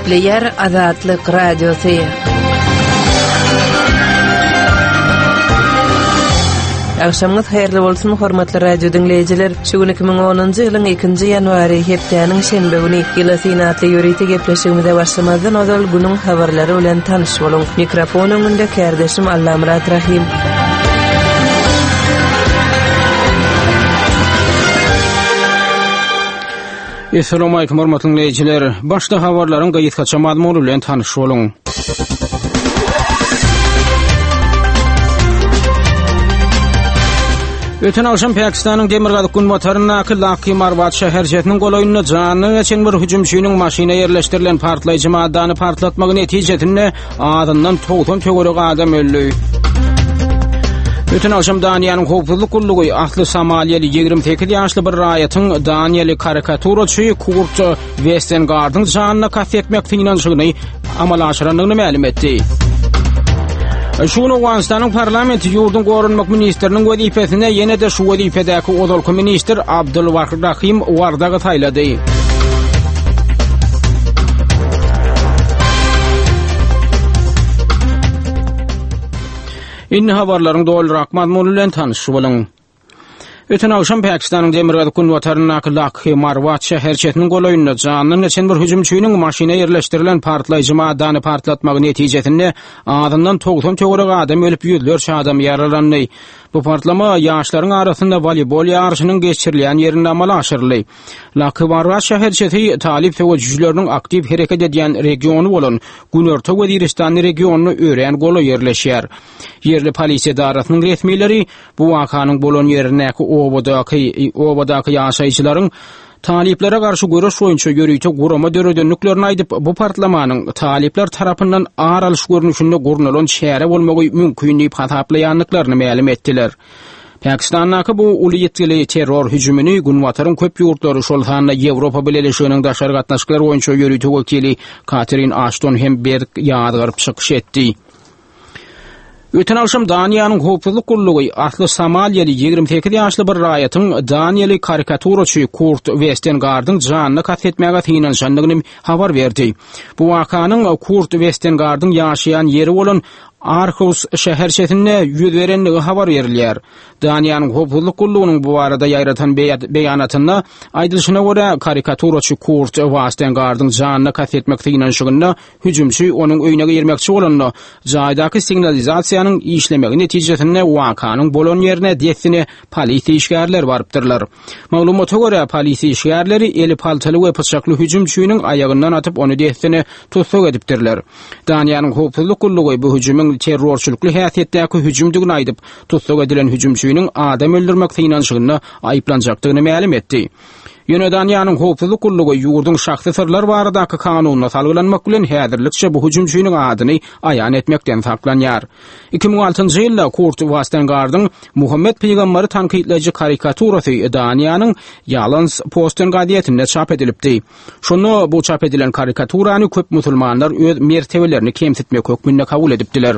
Gepleýär Azatlyk Radiosy. Agşamyňyz haýyrly bolsun, hormatly radio diňleýjiler. Şu gün 2010-njy ýylyň 2-nji ýanwary, hepdäniň şenbe güni. Ýyla syn atly ýörite gepleşigimize başlamazdan ozal günüň habarlary bilen tanyş boluň. Mikrofon öňünde kärdeşim Allamyrat Rahym. Essalawmalikim hormatly diňleýjiler. Başda habarlaryň gysgaça mazmuny bilen tanyş boluň. Öten agşam Pakistanyň demirgazyk günbataryndaky Lakki Marwat şäherçesiniň golaýynda janyna geçen bir hüjümçiniň maşyna ýerleşdirilen partlaýjy maddany partlatmagy netijesinde Azyndan 90 töweregi adam öldi. Öten agşam Daniýanyň howpsuzlyk gullugy asly somaliýaly 28 ýaşly bir raýatyň daniýaly karikaturaçy Kurt Westengardyň janyna kast etmek synanyşygyny amala aşyrandygyny mälim etdi. Şu gün Owganystanyň parlamenti ýurduň goranmak ministriniň wezipesine ýene-de şu wezipedäki ozalky ministr Abdul Rahim Wardagy saýlady. Indi habarlaryň dolyrak mazmuny bilen tanyş boluň. Öten agşam Pakistanyň demirgazyk günbataryndaky Lakhi Marwat şäherçesiniň golaýynda jandan geçen bir hüjümçiniň maşyna ýerleşdirilen partlaýjy maddany partlatmagy netijesinde azyndan 90 töweregi adam ölüp, ýüzlerçe adam ýaralandy. Bu partlama ýaşlaryň arasynda woleýbol ýaryşynyň geçirilýän ýerinde amala aşyryldy. Lakybarra şäherçesi talyp söweşijileriniň aktiw hereket edýän regiony bolan Günorta Weziristan regionyna örän golaý ýerleşýär. Ýerli polisiýa edarasynyň resmileri bu wakanyň bolan ýerindäki obadaky obadaky ýaşaýjylaryň talyplara garşy göreş boýunça ýörite gurama döredendiklerini aýdyp, bu partlamanyň talyplar tarapyndan ar alyş görnüşinde gurnalan çäre bolmagy mümkin diýip hasaplaýandyklaryny mälim etdiler. Pakistandaky bu uly ýitgili terror hüjümini Günbataryň köp ýurtlary, şol sanda Ýewropa Bileleşiginiň daşary gatnaşyklar boýunça ýörite wekili Katerin Aşton hem berk ýazgaryp çykyş etdi. Öten agşam Daniýanyň howpsuzlyk gullugy asly somaliýaly 28 ýaşly bir raýatyň daniýaly karikaturaçy Kurt Westengardyň janyna kast etmäge synanyşandygyny habar berdi. Bu wakanyň Kurt Westengardyň ýaşaýan ýeri bolan Aarhus şäherçesinde ýüz berendigi habar berilýär. Daniýanyň howpsuzlyk gullugynyň bu barada ýaýratan beýanatynda aýdylyşyna görä, karikaturaçy Kurt Wastengardyň janyna kast etmek synanyşygynda hüjümçi onuň öýüne girmekçi bolanda, jaýdaky signalizasiýanyň işlemegi netijesinde wakanyň bolan ýerine dessine polisiýa işgärleri barypdyrlar. Maglumata görä, polisiýa işgärleri eli paltaly we pyçakly hüjümçiniň aýagyndan atyp, ony dessine tussag edipdirler. Daniýanyň howpsuzlyk gullugy bu hüjümiň terrorçylykly häsiýetdäki hüjümdigini aýdyp, tussag edilen hüjümçiniň adam öldürmek synanyşygynda aýyplanjakdygyny mälim etdi. Ýöne Daniýanyň howpsuzlyk gullugy ýurduň şahsy syrlar baradaky kanunyna salgylanmak bilen häzirlikçe bu hüjümçiniň adyny aýan etmekden saklanýar. 2006-njy ýylda Kurt Wastengardyň Muhammet pygamberi tankytlaýjy karikaturasy Daniýanyň Ýalans Posten gazetinde çap edilipdi. Şonda bu çap edilen karikaturany köp musulmanlar öz mertebelerini kemsitmek hökmünde kabul edipdiler.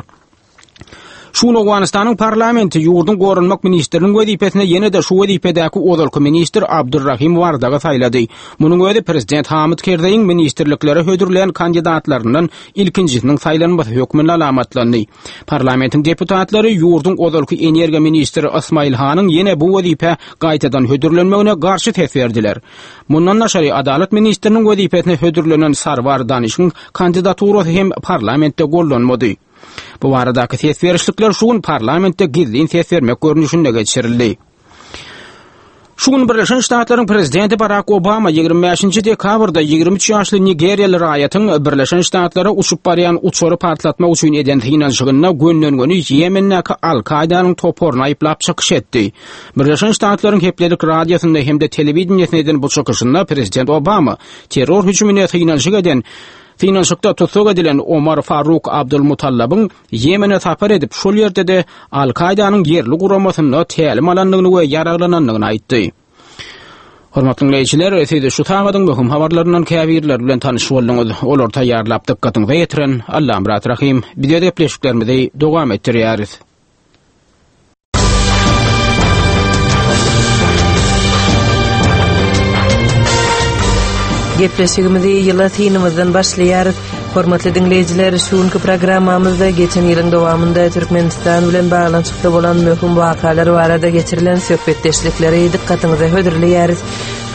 Şu gün Owganystanyň parlamenti ýurduň goranmak ministriniň wezipesine ýene-de şu wezipedäki ozalky ministr Abdurrahim Wardagy saýlady. Munuň özi prezident Hamid Kerzeýiň ministrliklere hödürlän kandidatlaryndan ilkinjisiniň saýlanmasy hökmünde alamatlandy. Parlamentiň deputatlary ýurduň ozalky energiýa ministri Ysmaýyl Hanyň ýene bu wezipä gaýtadan hödürlenmegine garşy ses berdiler. Mundan daşary, adalat ministriniň wezipesine hödürlenen Sarwar Danişiň kandidaturasy hem parlamentde goldanmady. Bu baradaky ses berişlikler şu gün parlamentde gizlin ses bermek görnüşinde geçirildi. Şu gün Birleşen Ştatlaryň prezidenti Barak Obama 25-nji dekabrda 23 ýaşly nigeriýaly raýatyň Birleşen Ştatlara uçup barýan uçary partlatmak üçin eden synanyşygynda gönden-göni Ýemendäki Al-Kaýdanyň toparyny aýyplap çykyş etdi. Birleşen Ştatlaryň hepdelik radiosynda hem-de telewideniýesinde eden bu çykyşynda prezident Obama terror hüjümine synanyşyk eden synanyşykda tussag edilen Omar Faruk Abdulmutallabyň Ýemene sapar edip, şol ýerde-de Al-Kaýdanyň ýerli guramasynda tälim alandygyny we ýaraglanandygyny aýtdy. Hormatly diňleýjiler, siz şu sagadyň möhüm habarlaryndan käbirleri bilen tanyş bolduňyz. Olary taýýarlap dykgatyňyza ýetiren Allamyrat Rahym. Biz öz gepleşiklerimizi dowam etdirýäris. Gepleşigimizi ýyla synymyzdan başlaýarys. Hormatly diňleýjiler, şu günki programmamyzda geçen ýylyň dowamynda Türkmenistan bilen baglanyşykly bolan möhüm wakalar barada geçirilen söhbetdeşlikleri dykgatyňyza hödürleýäris.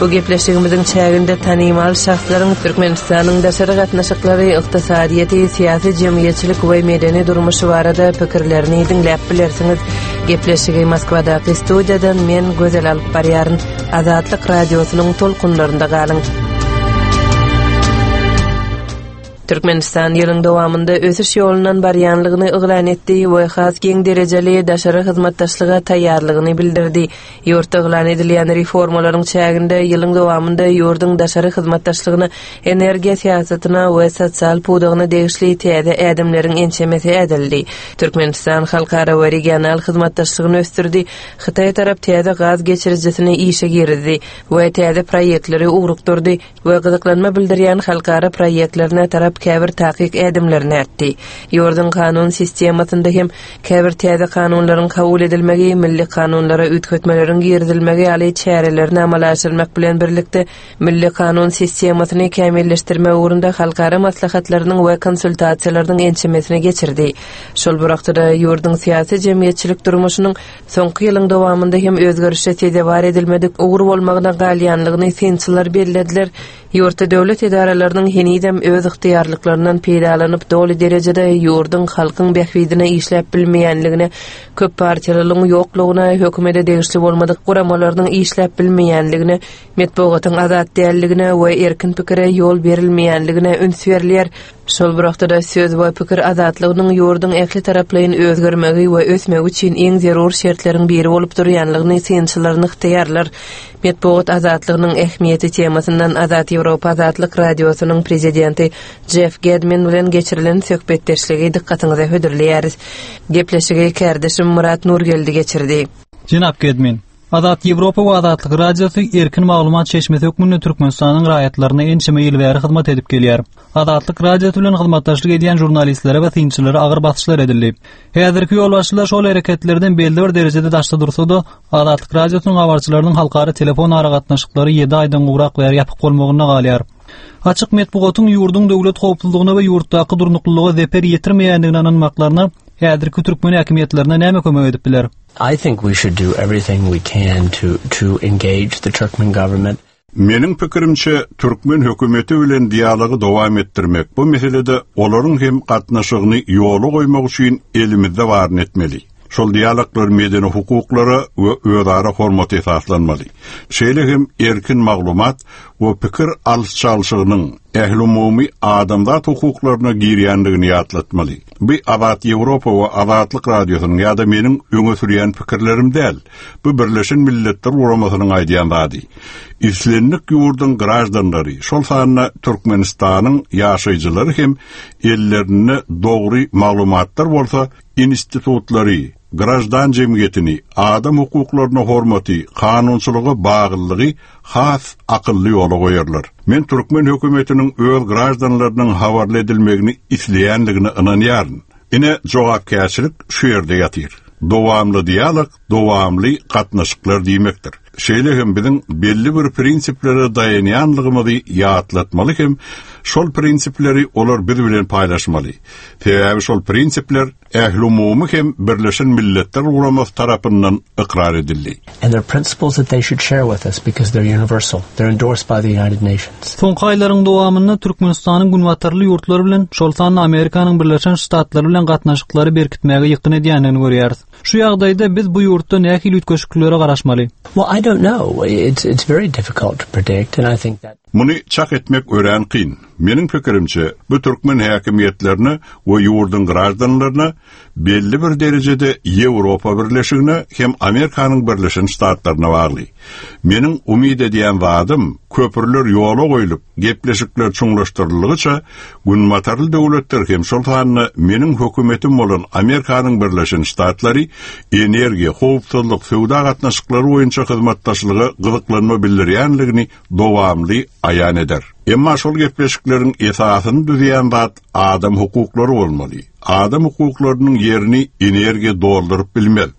Bu gepleşigimiziň çäginde tanymal şahslaryň Türkmenistanyň daşary gatnaşyklary, ykdysadyýeti, syýasy-jemgyýetçilik we medeni durmuşy barada pikirlerini diňläp bilersiňiz. Gepleşigi Moskwadaky studiýadan men Gözel alyp barýaryn. Azatlyk Radiosynyň tolkunlarynda galyň. Türkmenistan ýylyň dowamynda ösüş ýolundan barýanlygyny yglan etdi we has giň derejeli daşary hyzmatdaşlyga taýýarlygyny bildirdi. Ýurtda yglan edilýän reformalaryň çäginde ýylyň dowamynda ýurduň daşary hyzmatdaşlygyna, energiýa syýasatyna we sosial pudagyna degişli täze ädimleriň ençemesi ädildi. Türkmenistan halkara we regional hyzmatdaşlygyny ösdürdi, Hytaý tarap täze gaz geçirijisini işe girizdi we täze proýektleri ugrukdyrdy we gyzyklanma bildirýän halkara proýektlerine tarap käbir takyk ädimlerini ätdi. Ýurduň kanun sistemasynda hem käbir täze kanunlaryň kabul edilmegi, milli kanunlara üýtgetmeleriň girizilmegi ýaly çärelerini amala aşyrmak bilen birlikde, milli kanun sistemasyny kämilleşdirmek ugrunda halkara maslahatlarynyň we konsultasiýalarynyň ençemesini geçirdi. Şol bir wagtda-da, ýurduň syýasy-jemgyýetçilik durmuşynyň Soňky ýylyň dowamynda hem özgerişe sezewar edilmedik ugur bolmagyna galýanlygyny synçylar bellediler. Ýurtda döwlet edaralarynyň henizem öz ygtyýarlyklaryndan peýdalanyp doly derejede ýurduň, halkyň bähbidine işläp bilmeýänligine, köp partiýalylygyň ýoklugyna, hökümete degişli bolmadyk guramalarynyň işläp bilmeýänligine, metbugatyň azat dälligine we erkin pikire ýol berilmeýänligine üns berilýär. Şol bir wagtda-da söz we pikir azatlygynyň ýurduň ähli taraplaýyn özgermegi we ösmegi üçin iň zerur şertleriň biri bolup durýanlygyny synçylar nygtaýarlar. Metbugat azatlygynyň ähmiýeti temasyndan Azat Ýewropa Azatlyk Radiosynyň prezidenti Jeff Gedmin bilen geçirilen söhbetdeşligi dykgatyňyza hödürleýäris. Gepleşigi kärdeşim Myrat Nurgeldi geçirdi. Jenap Gedmin, Azat Ýewropa we Azatlyk Radiosy erkin maglumat çeşmesi hökmünde Türkmenistanyň raýatlaryna ençeme ýyl bäri hyzmat edip gelýär. Azatlyk Radiosy bilen hyzmatdaşlyk edýän žurnalistlere we synçylara agyr basyşlar edildi. Häzirki ýolbaşçylar şol hereketlerden belli bir derejede daşda dursa-da, Azatlyk Radiosynyň habarçylarynyň halkara telefon aragatnaşyklary ýedi aýdan gowrak bäri ýapyk bolmagynda galýar. Açyk metbugatyň ýurduň döwlet howpsuzlygyna we ýurtdaky durnuklylyga zeper ýetirmeýändigine ynanmaklaryna häzirki türkmen häkimiýetlerine näme kömek edip biler? I think we should do everything we can to to engage the Turkmen government. Meniň pikirimçe, türkmen hökümeti bilen dialogy dowam etdirmek, bu meselede olaryň hem gatnaşygyny ýola goýmak üçin elimizde baryny etmeli. Şol dialoglar medeni hukuklara we özara hormata esaslanmaly. Şeýle hem erkin maglumat we pikir alyş-çalşygynyň ählumumy adamzat hukuklaryna girýändigini ýatlatmaly. Bu Azat Ýewropa we Azatlyk Radiosynyň ýa-da meniň öňe sürýän pikirlerim däl. Bu Birleşen Milletler Guramasynyň aýdýan zady. Islendik ýurduň graždanlary, şol sanda Türkmenistanyň ýaşaýjylary hem ellerinde dogry maglumatlar bolsa, institutlary, graždan jemgyýetini, adam hukuklaryna hormaty, kanunçylyga baglylygy has akylly ýola goýarlar. Men türkmen hökümetiniň öz graždanlarynyň habarly edilmegini isleýändigine ynanýaryn. Ine, jogapkärçilik şu ýerde ýatyr. Dowamly dialog dowamly gatnaşyklar diýmekdir. Şeýle hem biziň belli bir prinsiplere daýanýanlygymyzy ýatlatmaly hem şol prinsipleri olar biz bilen paýlaşmaly. Sebäbi şol prinsipler Ählumumy hem Birleşen Milletler Guramasy tarapyndan ykrar edildi. And they're principles that they should share with us because they're universal. They're endorsed by the United Nations. Soňky aýlaryň dowamynda Türkmenistanyň günbatarly ýurtlar bilen, şol sanda Amerikanyň Birleşen Ştatlary bilen gatnaşyklary berkitmäge ýykgyn edýändigini görýäris. Şu ýagdaýda biz bu ýurtda nähili üýtgeşikliklere garaşmaly? Well, I don't know. It's, it's very difficult to predict and I think that Muny çak etmek örän kyn. Meniň pikirimçe, bu türkmen häkimiýetlerine we ýurduň graždanlaryna belli bir derejede Ýewropa Birleşigine hem Amerikanyň Birleşen Ştatlaryna bagly. Meniň umyt edýän zadym, köprüler ýola goýlup, gepleşikler çuňlaşdyryldygyça, günbatarly döwletler hem şol sanda meniň hökümetim bolan Amerikanyň Birleşen Ştatlary energiýa, howpsuzlyk, söwda gatnaşyklary boýunça hyzmatdaşlyga gyzyklanma bildirýänligini dowamly aýan eder. Emma şol gepleşikleriň esasyny düzýän zat adam hukuklary bolmaly. Adam hukuklarynyň ýerini energiýa dolduryp bilmez.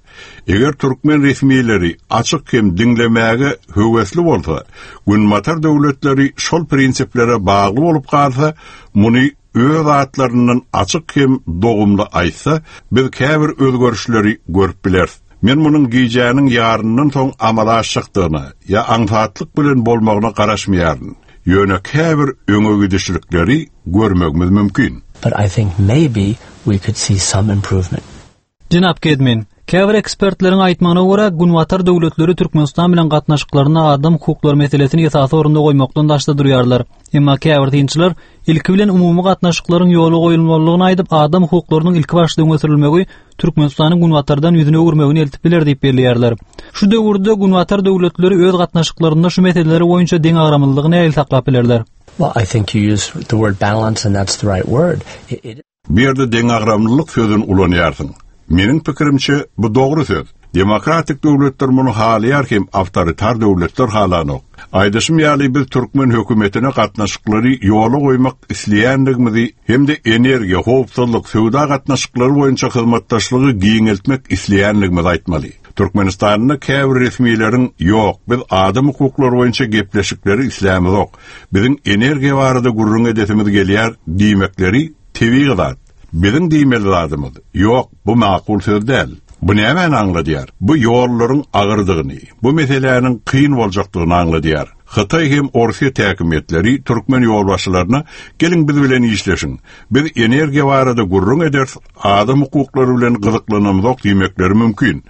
Eger türkmen resmileri açyk hem diňlemäge höwesli bolsa, Günbatar döwletleri şol prinsiplere bagly bolup galsa, muny öz atlaryndan açyk hem dogumly aýtsa, biz käbir özgerişleri görüp bileris. Men munuň gijäniň ýaryndan soň amala aşjakdygyna ýa aňsatlyk bilen bolmagyna garaşmaýaryn. Ýöne käbir öňe gidişlikleri görmegimiz mümkin. But I think maybe we could see some improvement. Jenap Gedmin, käbir ekspertleriň aýtmagyna görä, Günbatar döwletleri Türkmenistan bilen gatnaşyklarynda adam hukuklary meselesini esasy orunda goýmakdan daşda durýarlar. Emma käbir synçylar ilki bilen umumy gatnaşyklaryň ýola goýulmalydygyny aýdyp, adam hukuklarynyň ilkibaşda öňe sürülmegi Türkmenistanyň Günbatardan ýüzüni öwürmegine eltip biler diýip belleýärler. Şu döwürde Günbatar döwletleri öz gatnaşyklarynda şu meseleler boýunça deňagramlylygy nähili saklap bilerler? Well, I think you use the word balance and that's the right word. It, Bu ýerde deňagramlylyk sözüni ulanýarsyň. Meniň pikirimçe, bu dogry söz. Demokratik döwletler muny halaýar hem awtoritar döwletler halanok. Aýdyşym ýaly biz türkmen hökümetine gatnaşyklary ýola goýmak isleýändigimizi hem-de energiýa, howpsuzlyk, söwda gatnaşyklary boýunça hyzmatdaşlygy giňeltmek isleýändigimizi aýtmaly. Türkmenistanda käbir resmileriň ýok, biz adam hukuklary boýunça gepleşikleri islämizok, biziň energiýa barada gürrüň edesimiz gelýär diýmekleri tebigy zat. Biziň diýmeli zadymyz, ýok, bu makul söz däl. Bu nämäni aňladýar? Bu ýollaryň agyrdygyny, bu meseläniň kyn boljakdygyny aňladýar. Hytaý hem Orsýet häkimiýetleri türkmen ýolbaşçylaryna geliň biz bilen işleşiň, biz energiýa barada gürrüň ederis, adam hukuklary bilen gyzyklanamzok diýmekleri mümkin.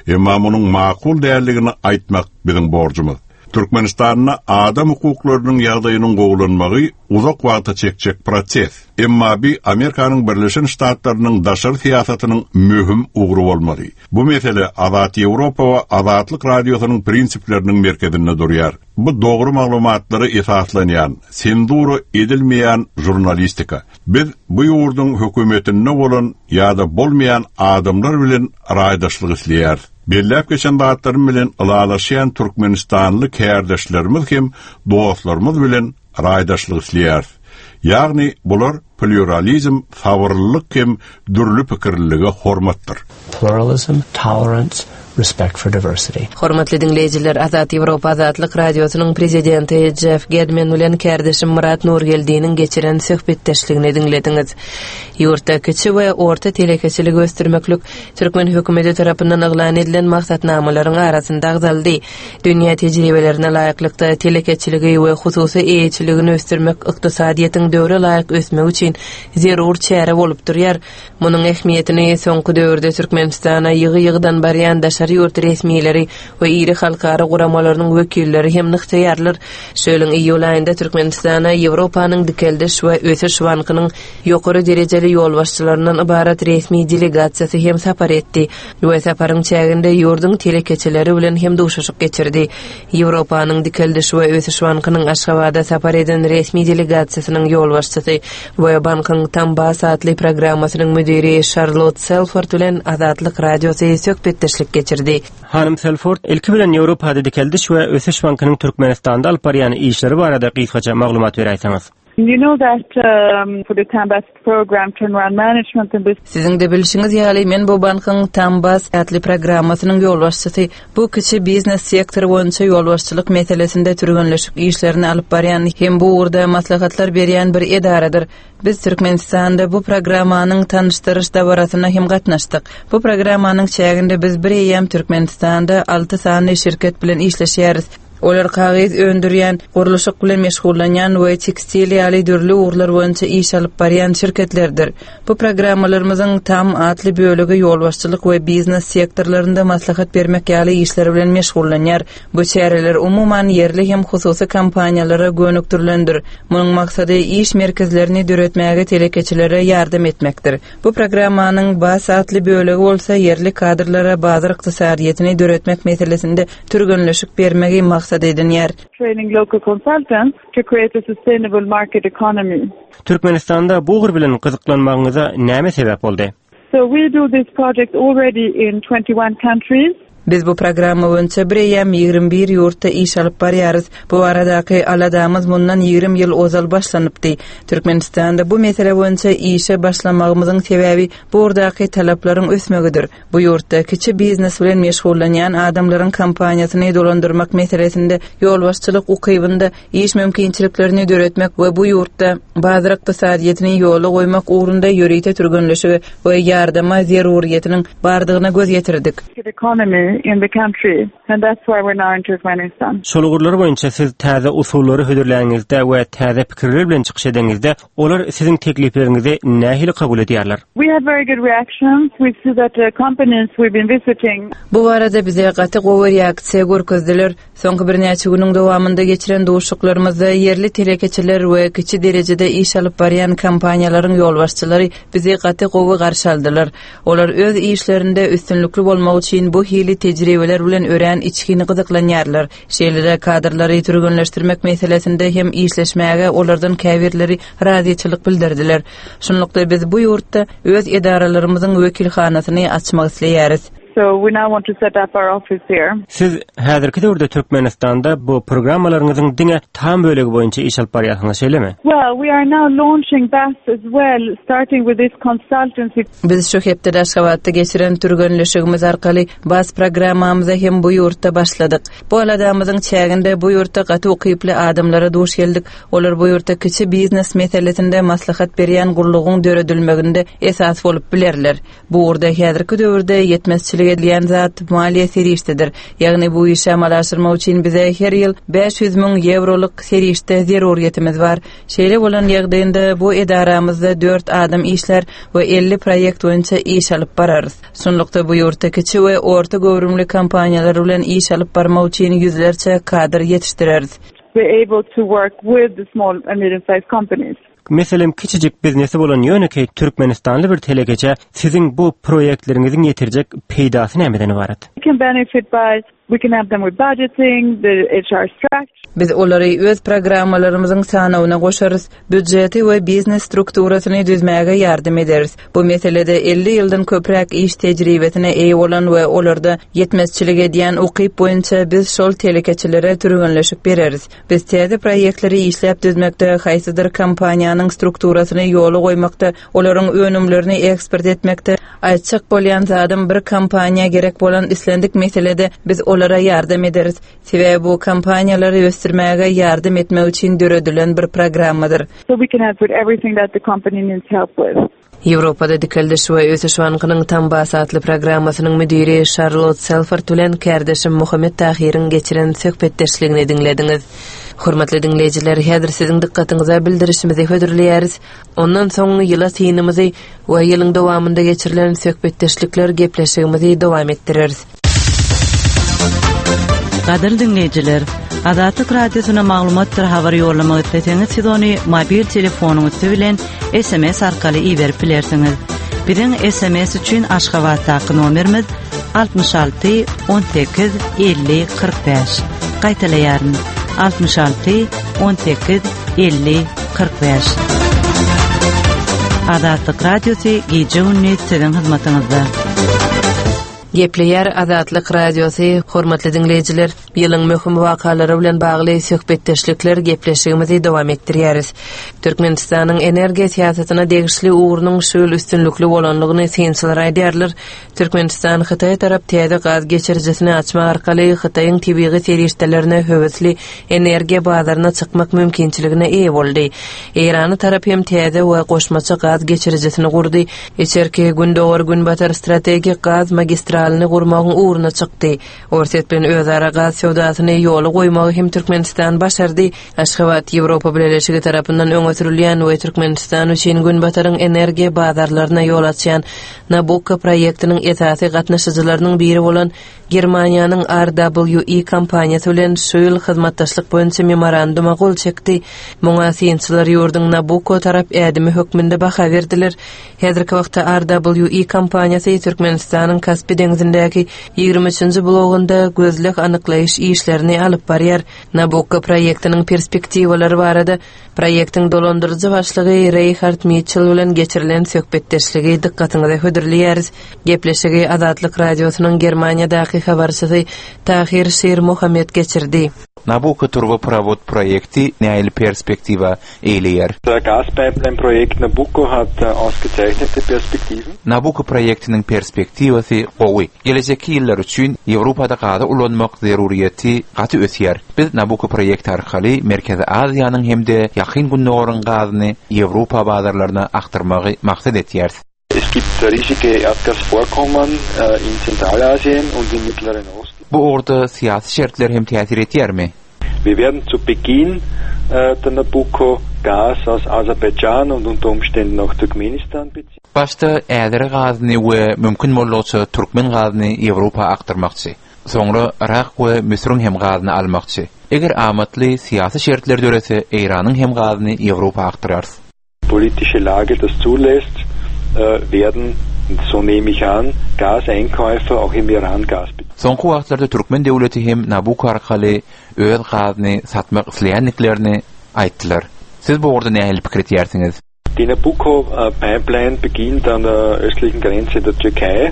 Emma munuň makul däldigini aýtmak biziň borjumyz. Türkmenistanda adam hukuklarynyň ýagdaýynyň gowulanmagy uzak wagta çekjek proses. Emma bi Amerikanyň Birleşen Ştatlarynyň daşary syýasatynyň möhüm ugry bolmaly. Bu mesele Azat Ýewropa we Azatlyk Radiosynyň prinsipleriniň merkezinde durýar. Bu dogry maglumatlara esaslanýan, senzura edilmeýän žurnalistika. Biz bu ýurduň hökümetinde bolan ýa-da bolmaýan adamlar bilen raýdaşlyk isleýäris. Belläp geçen zatlarym bilen ylalaşýan türkmenistanly kärdeşlerimiz hem dostlarymyz bilen raýdaşlyk isleýäris. Ýagny bular plýuralizm, sabyrlylyk hem dürli pikirlilige hormatdyr. Pluralism, tolerance, respect for diversity. Hormatly diňleýjiler, Azat Ýewropa Azatlyk Radiosynyň Prezidenti Jeff Gedmin bilen kärdeşim Myrat Nurgeldiniň geçiren söhbetdeşligini diňlediňiz. Ýurtda kiçi we orta telekeçiligi ösdürmeklik türkmen hökümeti tarapyndan yglan edilen maksatnamalaryň arasynda agzaldy. Dünýä tejribelerine laýyklykda telekeçiligi we hususy eýeçiligini ösdürmek ykdysadyýetiň döwre laýyk ösmegi üçin zerur çäre bolup durýar. Munuň ähmiýetini soňky döwürde Türkmenistana ýygy-ýygydan barýan daşary ýurt resmileri we iri halkara guramalarynyň wekilleri hem nygtaýarlar. Şu ýylyň iýul aýynda Türkmenistana Ýewropanyň Dikeldiş we ösüş bankynyň ýokary derejeli ýolbaşçylaryndan ybarat resmi delegasiýasy hem sapar etdi we saparyň çäginde ýurduň telekeçileri bilen hem duşuşyk geçirdi. Ýewropanyň Dikeldiş we ösüş bankynyň Aşgabada sapar eden resmi delegasiýasynyň ýolbaşçysy we bankyň Tambas atly programmasynyň müdiri Şarlot Selford bilen Azatlyk Radiosy söhbetdeşlik geçirdi. Hanym Selford, ilki bilen Ýewropada Dikeldiş we ösüş bankynyň Türkmenistanda alyp barýan işleri barada gysgaça maglumat beräýseňiz. You know that um, for the Tambas program turnaround management and this Siziň-de bilşiňiz ýaly, men bu bankyň Tambas atly programmasynyň ýolbaşçysy. Bu kiçi biznes sektory boýunça ýolbaşçylyk meselesinde türgenleşik işlerini alyp barýan hem bu ugurda maslahatlar berýän bir edaradyr. Biz Türkmenistanda bu programmanyň tanyşdyryş dabarasyna hem gatnaşdyk. Bu programmanyň çäginde biz bir eýýäm Türkmenistanda alty sany şirket bilen işleşýäris. Olar kagyz öndürýän, gurluşyk bilen meşgullanýan we tekstil ýaly dürli ugurlar boýunça iş alyp barýan şirketlerdir. Bu programmalarymyzyň tam atly bölegi ýolbaşçylyk we biznes sektorlarynda maslahat bermek ýaly işler bilen meşgullanýar. Bu çäreler umuman ýerli hem hususy kompaniýalara gönükdirilendir. Munuň maksady iş merkezlerini döretmäge telekeçilere ýardam etmekdir. Bu programmanyň bas atly bölegi bolsa ýerli kadrlara bazar ykdysadyýetini döretmek meselesinde türgenleşik bermegi maksat edinýär. Training local consultants to create a sustainable market economy. Türkmenistanda bu ugur bilen gyzyklanmagyňyza näme sebäp boldy? So we do this project already in 21 countries. Biz bu programma boýunça bireýýäm 21 ýurtda iş alyp barýarys. Bu baradaky aladamyz mundan 20 ýyl ozal başlanypdy. Türkmenistanda bu mesele boýunça işe başlamagymyzyň sebäbi bu ugurdaky talaplaryň ösmegidir. Bu ýurtda kiçi biznes bilen meşgullanýan adamlaryň kompaniýasyny dolandyrmak meselesinde ýolbaşçylyk ukybynda iş mümkinçiliklerini döretmek we bu ýurtda bazar ykdysadyýetini ýola goýmak ugrunda ýörite türgenleşige we ýardama zeruryýetiniň bardygyna göz ýetirdik. Şol ugurlar boýunça siz täze usullary hödürläniňizde we täze pikirler bilen çykyş edeňizde, olar siziň teklipleriňizi nähili kabul edýärler? Bu barada bize gaty gowy reaksiýa görkezdiler. Soňky birnäçe günüň dowamynda geçiren duşuşyklarymyzda ýerli telekeçiler we kiçi derejede iş alyp barýan kompaniýalaryň ýolbaşçylary bizi gaty gowy garşy aldylar. Olar öz işlerinde üstünlikli bolmak üçin bu hili tejribeler bilen örän içgin gyzyklanýarlar. Şeýle-de kadrlary türgenleşdirmek meselesinde hem işleşmäge olardan käbirleri razyçylyk bildirdiler. Şunlukda biz bu ýurtda öz edaralarymyzyň wekilhanasyny açmak isleýäris. So we now want to set up our office here. Siz häzirki döwürde Türkmenistanda bu programmalaryňyzyň diňe tam bölegi boýunça iş alyp barýarsyňyz, şeýlemi? Well, we are now launching BAS as well, starting with this consultancy. Biz şu hepdede Aşgabatda geçiren türgenleşigimiz arkaly BAS programmamyza hem bu ýurtda başladyk. Bu aladamyzyň çäginde bu ýurtda gaty ukyply adamlara duş geldik. Olar bu ýurtda kiçi biznes meselesinde maslahat berýän gullugyň döredilmeginde esas bolup bilerler. Bu ugurda häzirki döwürde ýetmezçilik edilýän zat maliýe serişdedir. Ýagny bu işi amala aşyrmak üçin bize her ýyl 500 müň ýewrolyk serişde zerurýetimiz bar. Şeýle bolan ýagdaýynda bu edaramyzda dört adam işlär we 50 proýekt boýunça iş alyp bararys. Şunlukda bu ýurtda kiçi we orta göwrümli kompaniýalar bilen iş alyp barmak üçin ýüzlerçe kadr ýetişdireris. Be able to work with the small and medium sized companies. Meselem, kiçijik biznesi bolan ýönekeý türkmenistanly bir telekeçä siziň bu proýektleriňiziň ýetirjek peýdasy nämeden ybarat? Can benefit by, we can help them with budgeting, the HR structure. Biz olary öz programmalarymyzyň sanawyna goşarys, býudjeti we biznes strukturasyny düzmäge ýardam ederis. Bu meselede 50 ýyldan köpräk iş tejribesine eýe bolan we olarda ýetmezçilik edýän ukyp boýunça biz şol telekeçilere türgenleşik bereris. Biz täze proýektleri işläp düzmekde, haýsydyr kompaniýanyň strukturasyny ýola goýmakda, olaryň önümlerini eksport etmekde, aýtjak bolýan zadym bir kompaniýa gerek bolan islendik meselede biz olara ýardam ederis. Sebäbi bu kompaniýalary ösdürmäge ýardam etmek üçin döredilen bir programmadyr. So we can help with everything that the company needs help with. Ýewropada Dikeldiş we ösüş bankynyň Tambas atly programmasynyň müdiri Şarlot Selford bilen kärdeşim Muhammet Tahyryň geçiren söhbetdeşligini diňlediňiz. Hormatly diňleýjiler, häzir siziň dykgatyňyza bildirişimizi hödürleýäris. Ondan soň ýyla synymyzy we ýylyň dowamynda geçirilen söhbetdeşlikler gepleşigimizi dowam etdireris. Gadyrly diňleýjiler, Azatlyk Radiosyna maglumatdyr habar ýollamak isleseňiz, siz ony mobil telefonyň üsti bilen SMS arkaly iberip bilersiňiz. Biziň SMS üçin Aşgabatdaky nomerimiz 66 18 50 45. Gaýtalaýaryn. 66 18 50 45. Azatlyk Radiosy gije-gündiz siziň hyzmatyňyzda. Gepleýär Azatlyk Radiosy, hormatly diňleýjiler, ýylyň möhüm wakalary bilen bagly söhbetdeşlikler gepleşigimizi dowam etdirýäris. Türkmenistanyň energiýa syýasatyna degişli ugrunyň şu ýyl üstünlikli bolandygyny synçylar aýdýarlar. Türkmenistan Hytaýa tarap täze gaz geçirijisini açmak arkaly Hytaýyň tebigy serişdelerine höwesli energiýa bazaryna çykmak mümkinçiligine eýe boldy. Eýrana tarap hem täze we goşmaça gaz geçirijisini gurdy. Içerki Gündogar-Günbatar strategik gaz magistralyny gurmagyň ugruna çykdy. Orsýet bilen özara gaz söwdasyny ýola goýmagy hem Türkmenistan başardy. Aşgabat Ýewropa Bileleşigi tarapyndan öňe sürülýän we Türkmenistan üçin Günbataryň energiýa bazarlaryna ýol açýan Nabukko proýektiniň esasy gatnaşyjylarynyň biri bolan Germaniýanyň RWE kompaniýasy bilen şu ýyl hyzmatdaşlyk boýunça memoranduma gol çekdi. Muňa synçylar ýurduň Nabukko tarap ädimi hökmünde baha berdiler. Häzirki wagtda RWE kompaniýasy Türkmenistanyň Kaspi deňzindäki 23-nji blogunda gözleg-anyklaýyş. öwreniş işlerini alyp barýar. Nabukko proýektiniň perspektiwalary barada proýektiň dolandyryjy başlygy Reýhard Mitçel bilen geçirilen söhbetdeşligi dykgatyňyza hödürleýäris. Gepleşigi Azatlyk Radiosynyň Germaniýadaky habarçysy Tahir Şirmuhammet geçirdi. Nabucco turboprovod proýekti nähili perspektiwa eýleýär? Der Gaspipeline-Projekt Nabucco hat ausgezeichnete Perspektiven. Nabucco proýektiniň perspektiwasy gowy. Gelejekki ýyllar üçin Ýewropada gazy ulanmak zeruryýeti gaty ösýär. Biz Nabucco proýekti arkaly Merkezi Aziýanyň hem-de Ýakyn Gündogaryň gazyny Ýewropa bazarlaryna akdyrmagy maksat etýäris. Es gibt riesige Erdgasvorkommen in Zentralasien und im Mittleren Osten. Bu ugurda syýasy şertler hem täsir etýärmi? Wir werden zu Beginn der Nabucco Gas aus Aserbaidschan und unter Umständen auch Turkmenistan beziehen. Başda äzeri gazyny we mümkin boldugyça türkmen gazyny Ýewropa akdyrmakçy. Soňra Yrak we Müsüriň hem gazyny almakçy. Eger amatly syýasy şertler dörese Eýranyň hem gazyny Ýewropa akdyrarys. Politische Lage das zulässt, werden, so nehme ich an, Gaseinkäufer auch im Iran Gas beziehen. Soňky wagtlarda türkmen döwleti hem Nabucco arkaly öz gazyny satmak isleýändiklerini aýtdylar. Siz bu ugurda nähili pikir etýärsiňiz? Die Nabucco Pipeline beginnt an der östlichen Grenze der Türkei.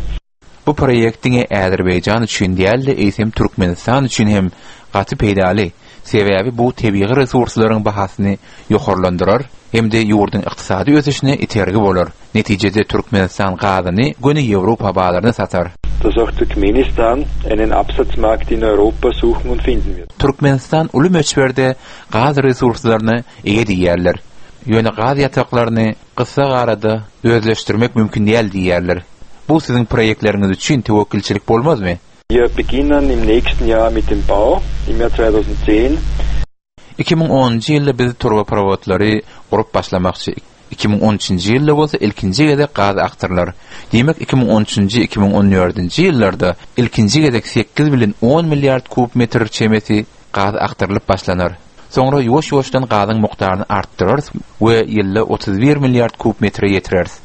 Bu proýekt diňe Azerbaýjan üçin däl-de, eýsem Türkmenistan üçin hem gaty peýdaly, sebäbi bu tebigy resurslaryň bahasyny ýokarlandyrar hem-de ýurduň ykdysady ösüşine itergi bolar. Netijede Türkmenistan gazyny göni Ýewropa bazaryna satar. Dass auch Turkmenistan einen Absatzmarkt in Europa suchen und finden wird. Türkmenistan uly möçberde gaz resurslaryna eýe diýýärler. Ýöne gaz ýataklaryny Gysga arada özleşdirmek mümkin däl diýýärler. Bu siziň proýektleriňiz üçin töwekgelçilik bolmazmy? Wir beginnen im nächsten Jahr mit dem Bau, im Jahr 2010. 2010-njy ýylda biz turbaprowodlary gurup başlamakçy. 2013-nji ýylda bolsa ilkinji gezek gaz akdyrylar. Diýmek, 2013-nji, 2014-nji ýyllarda ilkinji gezek sekiz bilen on milliard kub metr çemesi gaz akdyrylyp başlanar. Soňra ýuwaş-ýuwaşdan gazyň mukdaryny artdyrarys we ýylda 31 milliard kub metre ýetireris.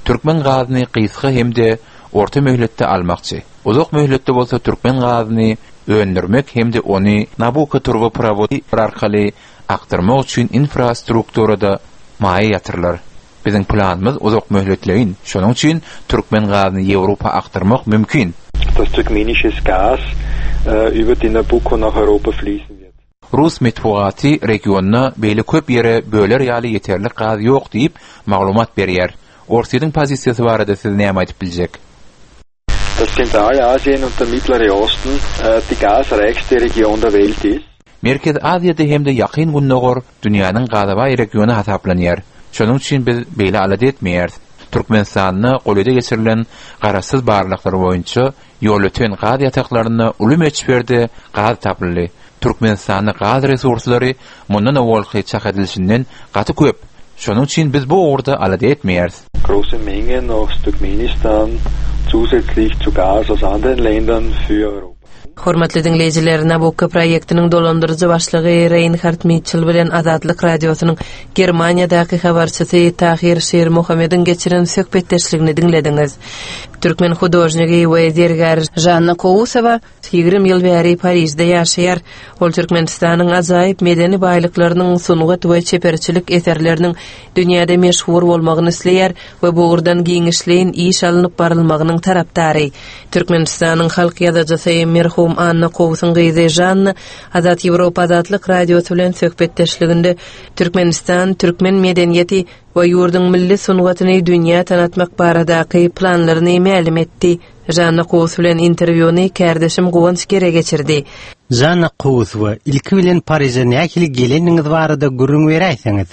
Türkmen gazyny gysga hem-de orta möhletde almakçy. Uzak möhletde bolsa türkmen gazyny öndürmek hem-de ony Nabucco turbaprowody arkaly akdyrmak üçin infrastrukturada maýa ýatyrylar. Biziň planymyz uzak möhletleýin, şonuň üçin türkmen gazyny Ýewropa akdyrmak mümkin. Dass turkmenisches Gas über die Nabucco nach Europa fließen wird. Rus metbugaty regionda beýle köp ýere böler ýaly ýeterlik gaz ýok diýip, maglumat berýär. Orsýetiň pozisiýasy barada siz näme aýdyp biljek? Dass Zentralasien und der Mittlere Osten die gasreichste Region der Welt ist. Merkezi Aziýada hem-de Ýakyn Gündogar dünýäniň gaza baý regiony hasaplanýar. Şonuň üçin biz beýle alada etmeýäris. Türkmenistanda golaýda geçirilen garaşsyz barlaglar boýunça Ýolöten gaz ýataklarynda uly möçberde gaz tapyldy. Türkmenistanda gaz resurslary mundan owalky çak edilişinden gaty köp. Şonuň üçin biz bu ugurda alada etmeýäris. Große Mengen aus Turkmenistan zusätzlich zu Gas aus anderen Ländern für Europa. Hormatly diňleýjiler, Nabukko proýektiniň dolandyryjy başlygy Reýnhard Mitçel bilen Azatlyk Radiosynyň Germaniýadaky habarçysy Tahir Şirmuhamediň geçiren söhbetdeşligini diňlediňiz. Türkmen hudožnigi we zergäri Žanna Kowusowa 20 ýyl bäri Parižde ýaşaýar. Ol Türkmenistanyň ajaýyp medeni baýlyklarynyň, sungat we çeperçilik eserleriniň dünýäde meşhur bolmagyny isleýär we bu ugurdan giňişleýin iş alnyp barylmagynyň tarapdary. Türkmenistanyň halk ýazyjysy merhum Anna Kowusyň gyzy Žanna Azat Ýewropa Azatlyk Radiosy bilen söhbetdeşliginde Türkmenistan, türkmen medeniýeti we ýurduň milli sungatyny dünýä tanatmak baradaky planlaryny mälim etdi. Žanna Kowus bilen interwýuny kärdeşim Guwanç Gere geçirdi. Žanna Kowusowa, ilki bilen Pariže nähili geleniňiz barada gürrüň beräýseňiz?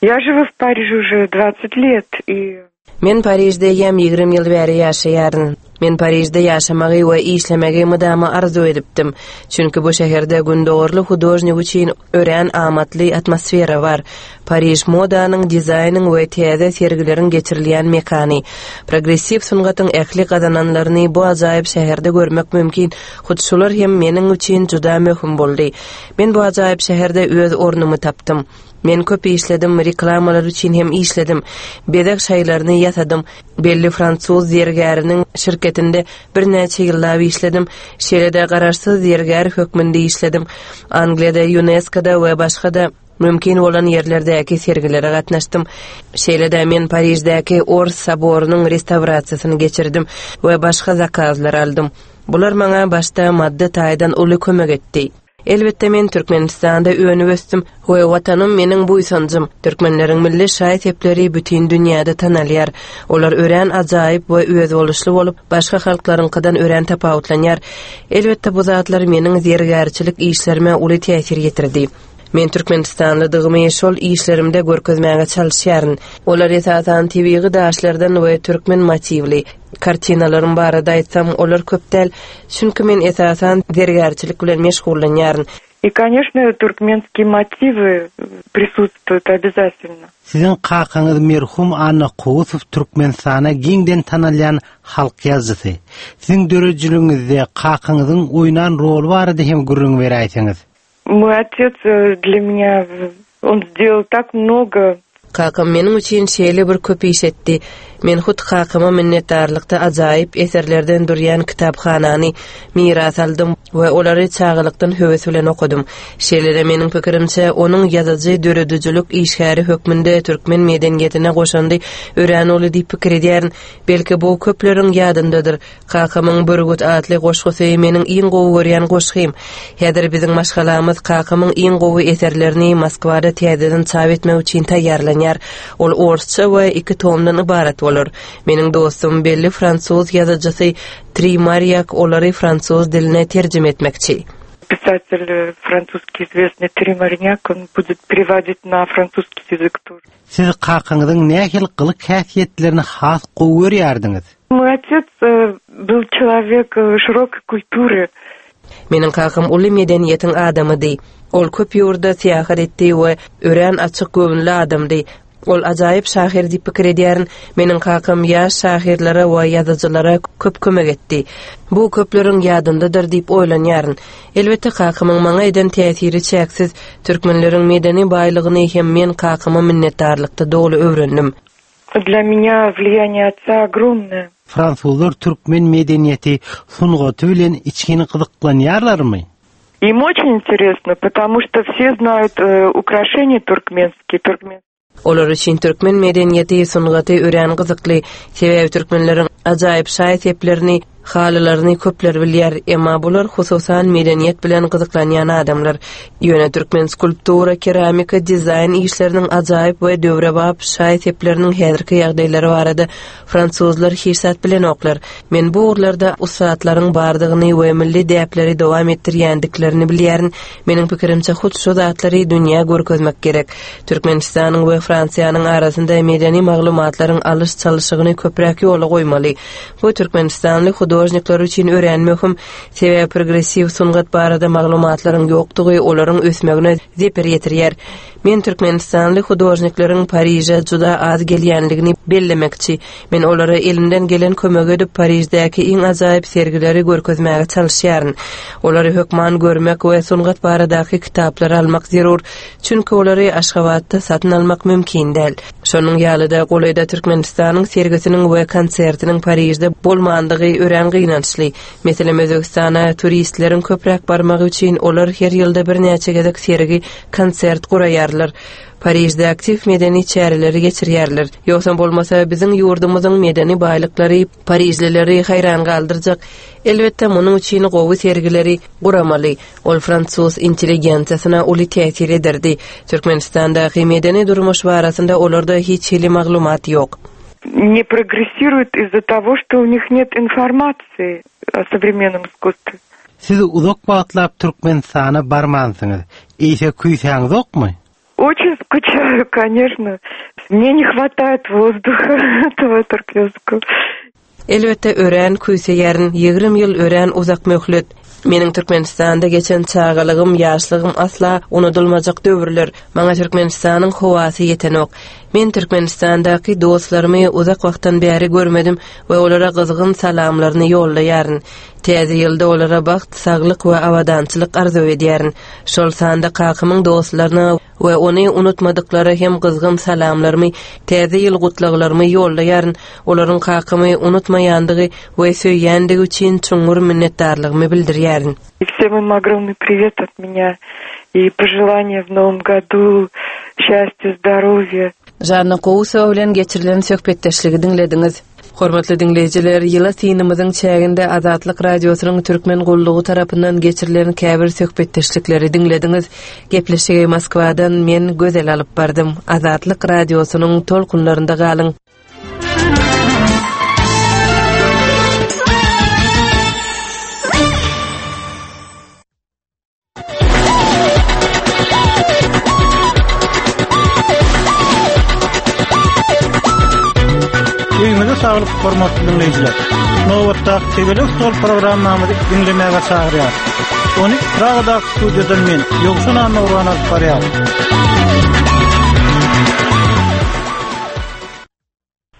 Я живу в Париже уже 20 лет и Men Parižde eýýäm 20 ýyl bäri ýaşaýaryn. Men Parižde ýaşamagy we işlemegi mydama arzuw edipdim. Çünki bu şäherde gündogarly hudožnik üçin örän amatly atmosfera bar. Pariž modanyň, dizaýnyň we täze sergileriň geçirilýän mekany. Progressiw sungatyň ähli gazananlaryny bu ajaýyp şäherde görmek mümkin. Hut şular hem meniň üçin juda möhüm boldy. Men bu ajaýyp şäherde öz ornumy tapdym. Men köp işledim, reklamalar üçin hem işledim. Bezeg şaýlaryny. kartinalaryny ýasadym. Belli fransuz zergäriniň şirketinde birnäçe ýyllap işledim. Şeýle-de garaşsyz zergär hökmünde işledim. Angliýada, ÝUNESKO-da we başga-da mümkin bolan ýerlerdäki sergilere gatnaşdym. Şeýle-de men Pariždäki Ors soborynyň restawrasiýasyny geçirdim we başga zakazlary aldym. Bular maňa başda maddy taýdan uly kömek etdi. Elbetde men Türkmenistanda önüp ösdüm we Watanym meniň buýsanjym. Türkmenleriň milli şaý-sepleri bütin dünýäde tanalýar. Olar örän ajaýyp we özboluşly bolup, başga halklaryňkydan örän tapawutlanýar. Elbetde bu zatlar meniň zergärçilik işlerime uly täsir ýetirdi. Men türkmenistanlydygymy şol işlerimde görkezmäge çalyşýaryn. Olar esasan tebigy daşlardan we türkmen motiwli. Kartinalarym barada aýtsam, olar köp däl, çünki men esasan zergärçilik bilen meşgullanýaryn. I, koneçno, turkmenskiý motiwy prisutstwuýut obýazatelno. Siziň kakaňyz merhum Anna Kowusow Türkmenistana giňden tanalýan halk ýazyjysy. Siziň döredijiligiňizde kakaňyzyň oýnan roly barada hem gürrüň beräýseňiz. Moý otec dlya menýa on sdelal tak mnogo. Kakam meniň üçin şeýle bir köp iş etdi. Men hut kakama minnetdarlykda ajaýyp eserlerden durýan kitaphanany miras aldym we olary çagalykdan höwes bilen okadym. Şeýle-de meniň pikirimçe, onuň ýazyjy, döredijilik işgäri hökmünde türkmen medeniýetine goşandy örän uly diýip pikir edýärin. Belki bu köpleriň ýadyndadyr. Kakamyň Bürgüt atly goşgusy meniň iň gowy görýän goşgym. Häzir biziň maşgalamyz kakamyň iň gowy eserlerini Moskwada täzeden çap etmek üçin taýýarlanýar. Ol orsça we iki tomdan ybarat bolar. Meniň dostum, belli fransuz ýazyjysy Tri Marýak olary fransuz diline terjime etmekçi. Pisatel fransuskiý izwestnyý Tri Marnýak, on budet perewadit na fransuskiý ýazyk тоже. Siz kakaňyzyň nähili gylyk-häsiýetlerini has gowy görýärdiňiz? Moý otec byl çelowek şirokoý kultury. Meniň kakam uly medeniýetiň adamydy. Ol köp ýurda syýahat etdi we örän açyk göwünli adamdy. Ol ajaýyp şahyr diýip pikir edýärin. Meniň kakam ýaş şahyrlara we ýazyjylara köp kömek etdi. Bu köpleriň ýadyndadyr diýip oýlanýaryn. Elbetde kakamyň maňa eden täsiri çäksiz. Türkmenleriň medeni baýlygyny hem men kakama minnetdarlykda doly öwrendim. Dla menýa wliýaniýe otca ogromnoe. Fransuzlar türkmen medeniýeti, sungaty bilen içgin gyzyklanýarlarmy? Im oçin interesno, potomu şto wse znaýut ukraşeniýa turkmenskiý, turkmen. Olar üçin türkmen medeniýeti, sungaty örän gyzykly. Sebäbi türkmenleriň ajaýyp şaý-seplerini, Halylaryny köpler bilýär, emma bular hususan medeniýet bilen gyzyklanýan adamlar. Ýöne türkmen skulptura, keramika, dizaýn işleriniň ajaýyp we döwrebap şaý-sepleriniň häzirki ýagdaýlary barada fransuzlar hiç zat bilenoklar. Men bu ugurlarda ussatlaryň bardygyny we milli däpleri dowam etdirýändiklerini bilýärin. Meniň pikirimçe, hut şu zatlary dünýä görkezmek gerek. Türkmenistanyň we Fransiýanyň arasynda medeni maglumatlaryň alyş-çalşygyny köpräk ýola goýmaly. Bu türkmenistanly hudožnikler üçin örän möhüm, sebäbi progressiw sungat barada maglumatlaryň ýokdugy olaryň ösmegine zeper ýetirýär. Men türkmenistanly hudožnikleriň Pariže juda az gelýänligini bellemekçi. Men olara elimden gelen kömegi edip, Pariždäki iň ajaýyp sergileri görkezmäge çalyşýaryn. Olary hökman görmek we sungat baradaky kitaplary almak zerur, çünki olary Aşgabatda satyn almak mümkin däl. Şonuň ýaly-da, golaýda Türkmenistanyň sergisiniň we konsertiniň Parižde bolmandygy örän gynançly. Meselem, Özbegistana turistleriň köpräk barmagy üçin olar her ýylda birnäçe gezek sergi, konsert guraýarlar. Parižde aktiw medeni çäreleri geçirýärler. Ýogsam bolmasa, biziň ýurdumyzyň medeni baýlyklary parižlileri haýran galdyrjak. Elbetde, munuň üçin gowy sergileri guramaly. Ol fransuz intelligensiýasyna uly täsir ederdi. Türkmenistandaky medeni durmuş barasynda olarda hiç hili maglumat ýok. Ne progressiruют iz-za togo, çto u nih net informatsii o sowremennom iskusstwe. Siz uzak wagtlap Türkmenistana barmansyňyz. Eýse küýsäňzokmy? Oçin skuçaýu, koneçno. Mne ne hwataet wozduha этого turkmenskogo. Elbetde, örän küýseýärin. 20 ýyl örän uzak möhlet. Meniň Türkmenistanda geçen çagalygym, ýaşlygym asla unudylmajak döwürler. Maňa Türkmenistanyň howasy ýetenok. Men Türkmenistandaky dostlarymy uzak wagtdan bäri görmedim we olara gyzgyn salamlaryny ýollaýaryn. Täze ýylda olara bagt, saglyk we abadançylyk arzuw edýärin. Şol sanda kakamyň dostlaryna we ony unutmadyklara hem gyzgyn salamlarymy, Täze ýyl gutlaglarymy ýollaýaryn. Olaryň kakamy unutmaýandygy we söýýändigi üçin çuňňur minnetdarlygymy bildirýärin. Всем им огромный привет от меня и пожелания в новом году счастья, здоровья. Žanna Kowusowa bilen geçirilen söhbetdeşligi diňlediňiz. Hormatly diňleýjiler, ýyla synymyzyň çäginde Azatlyk Radiosynyň Türkmen gullugy tarapyndan geçirilen käbir söhbetdeşlikleri diňlediňiz. Gepleşigi Moskwadan men Gözel alyp bardym. Azatlyk Radiosynyň tolkunlarynda galyň. Öýüňize saglyk, hormatly diňleýjiler. Nobatdaky Tegelek stol programmamyzy diňlemäge çagyrýarys. Ony Pragadaky studiýadan men, Ýowşan Annagurban alyp barýar.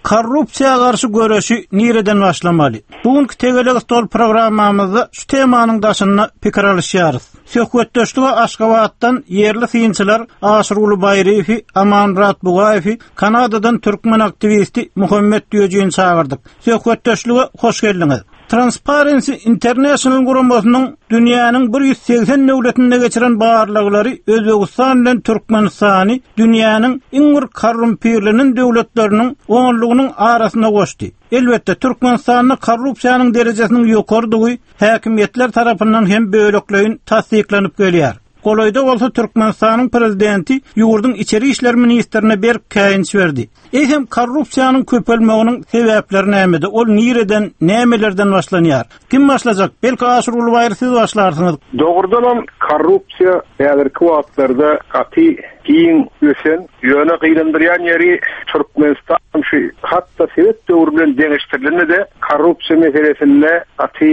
Korrupsiýa garşy göreşi nireden başlamaly? Bu günki Tegelek stol programmamyzda şu temanyň daşynda pikir alyşýarys. Söhbetdeşlige Aşgabatdan ýerli synçylar Aşyrguly Baýryýewi, Amanmyrat Bugaýewi, Kanadadan türkmen aktiwisti Muhammet Düýejini çagyrdyk. Söhbetdeşlige hoş geldiňiz! Transparency International guramasynyň dünýäniň 180 döwletinde geçiren barlaglary Özbegistan bilen Türkmenistany dünýäniň iň bir korrumpirlenen döwletleriniň onlugynyň arasyna goşdy. Elbetde, Türkmenistanda korrupsiýanyň derejesiniň ýokarydygy häkimiýetler tarapyndan hem bölekleýin tassyklanyp gelýär. Golaýda bolsa Türkmenistanyň prezidenti ýurduň içeri işler ministrine berk käýinç berdi. Eýsem, korrupsiýanyň köpelmeginiň sebäpleri nämede? Ol nireden, nämelerden başlanýar? Kim başlajak? Belki Aşyrguly Baýry siz başlarsyňyz? Dogrudanam korrupsiýa häzirki wagtlarda gaty giň ösen, ýöne gynandyrýan ýeri Türkmenistan şu hat-da sowet döwri bilen deňeşdirilende-de korrupsiýa meselesinde gaty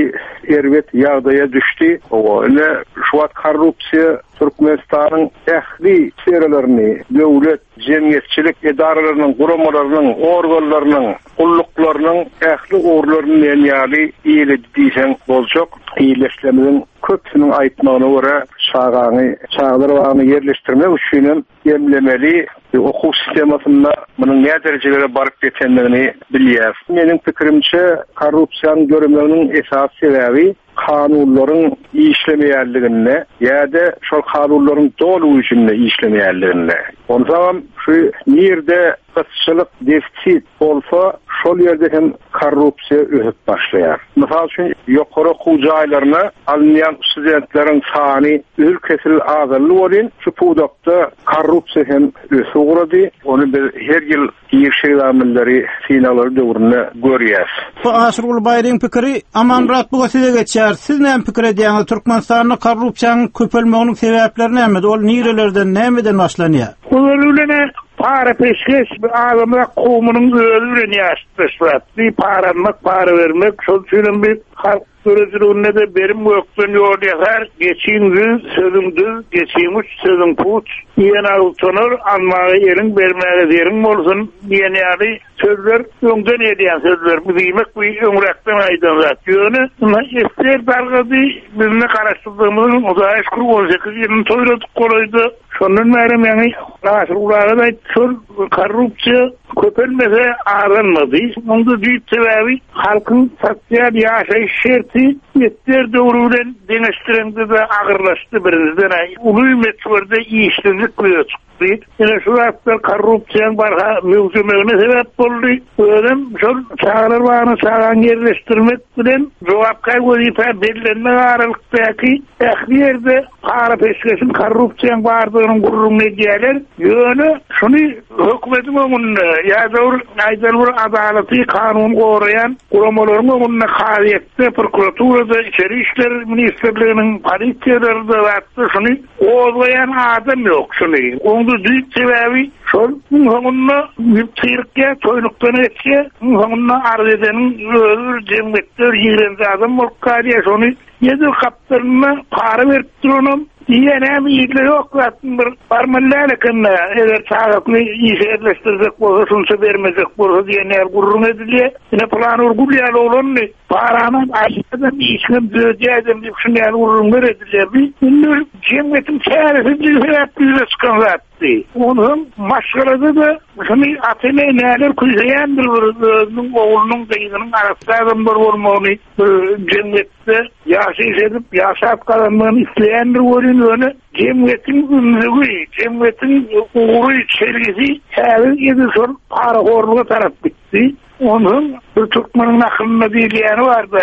erbet ýagdaýa düşdi. Hawa, ine şu wagt korrupsiýa Türkmenistanyň ähli sferalaryny, döwlet, jemgyýetçilik edaralarynyň, guramalarynyň, organlarynyň, gulluklarynyň ähli ugurlaryny diýen ýaly eýeledi diýseň boljak. Ildeşlerimiziň köpüsiniň aýtmagyna görä, çagaňy çagalar bagyna ýerleşdirmek üçinem emlemeli. Okuw sistemasynda munuň näderejelere baryp ýetendigini bilýäris. Meniň pikirimçe, korrupsiýanyň döremeginiň esasy sebäbi kanunlaryň işlemeýänliginde ýa-da şol kanunlaryň doly güýjünde işlemeýänliginde. Onsoňam şu nirde gytçylyk, defisit bolsa, şol ýerde hem korrupsiýa ösüp başlaýar. Mysal üçin, ýokary okuw jaýlaryna alynýan studentleriň sany üzül-kesil azaldy welin, şu pudakda korrupsiýa hem ösüp ugrady. Ony biz her ýyl Giriş ekzamenleri synaglary döwründe görýäs. Bu Aşyrguly Baýryň pikiri, Amanmyrat Buga size geçýär. Siz näme pikir edýäňiz, Türkmenistanda korrupsiýanyň köpelmeginiň sebäpleri nämede, ol nirelerden, nämeden başlanýar? Ozaly bilen-ä para-peşgeş adamzat kowumynyň özi bilen ýaşytdaş zat. Bir para almak, para bermek, şol üçinem bir halk Döredijiliginde-de Berim gökden ýol ýasar, Geçiň düz, sözüň düz, geçiň uç, sözüň puç, Diýen agyz tonar, Almaga eliň, bermäge zeriň bolsun diýen ýaly sözler öňden gelýän sözler. Bu diýmek bu öňräkden aýdan zat. Ýöne ynha ssr dargady, biz indi Garaşsyzlygymyzyň Hudaýa şükür 18 ýylyny toýladyk golaýda. Şondan bärem ýaňy Aşyrguly aga-da aýtdy, şol korrupsiýa köpelmese azalmady. Munuň-da düýp sebäbi halkyň sosial ýaşaýyş şerti ssr döwri bilen deňeşdireňde-de agyrlaşdy, birinjiden-ä uly möçberde işsizlik ýüze çykdy. Ine şu zatlar korrupsiýanyň barha möwjemegine sebäp boldy. Özem şol çagalar bagyna çagany ýerleşdirmek bilen jogapkär wezipä bellenmek aralykdaky ähli ýerde para-peşgeşiň, korrupsiýaň bardygynyň gürrüňini edýärler. Ýöne şuny hökümetiň öňünde ýa-da bir aýdaly bir adalaty, kanuny goraýan guramalaryň öňünde, kazyýetde, prokuraturada, içeri işler ministrliginiň, polisiýalarda zatda şuny gozgaýan adam ýok şuny. Oň-da düýp sebäbi. Şol iň soňunda ýüp syrykýar, toýnukdan geçýär. Iň soňunda arz edeniň özi bir jemgyýetde bir ýigrenji adam bolup galýar. Şony edil gapdalynda para berip duranam diýýär, näme ilde ýok zatmy bir barmaly däl eken-dä, eger çagasyny işe ýerleşdirjek bolsa şunça bermejek bolsa diýen ýaly gürrüň edilýär. Ine pylany bir gül ýaly oglandy, paranam alýadam, işiňem düzedýädem diýip şuny ýaly gürrüňler edilýär. Bu indi bir jemgyýetiň çäresizligi sebäpli ýüze çykan zatdy. Onsoň maşgalada-da şuny ata-ene näler küýseýändir bir özüniň oglunyň, gyzynyň arassa adamlar bolmagyny bir jemgyýetde ýaşaýyş edip, ýaşap gazanmagyny isleýändir welin, ýöne jemgyýetiň ümzügi, jemgyýetiň ugry, çelgisi häzir edil şol parahorluga tarap gitdi. Onsoň bir türkmeniň nakylynda diýilýäni bar-da,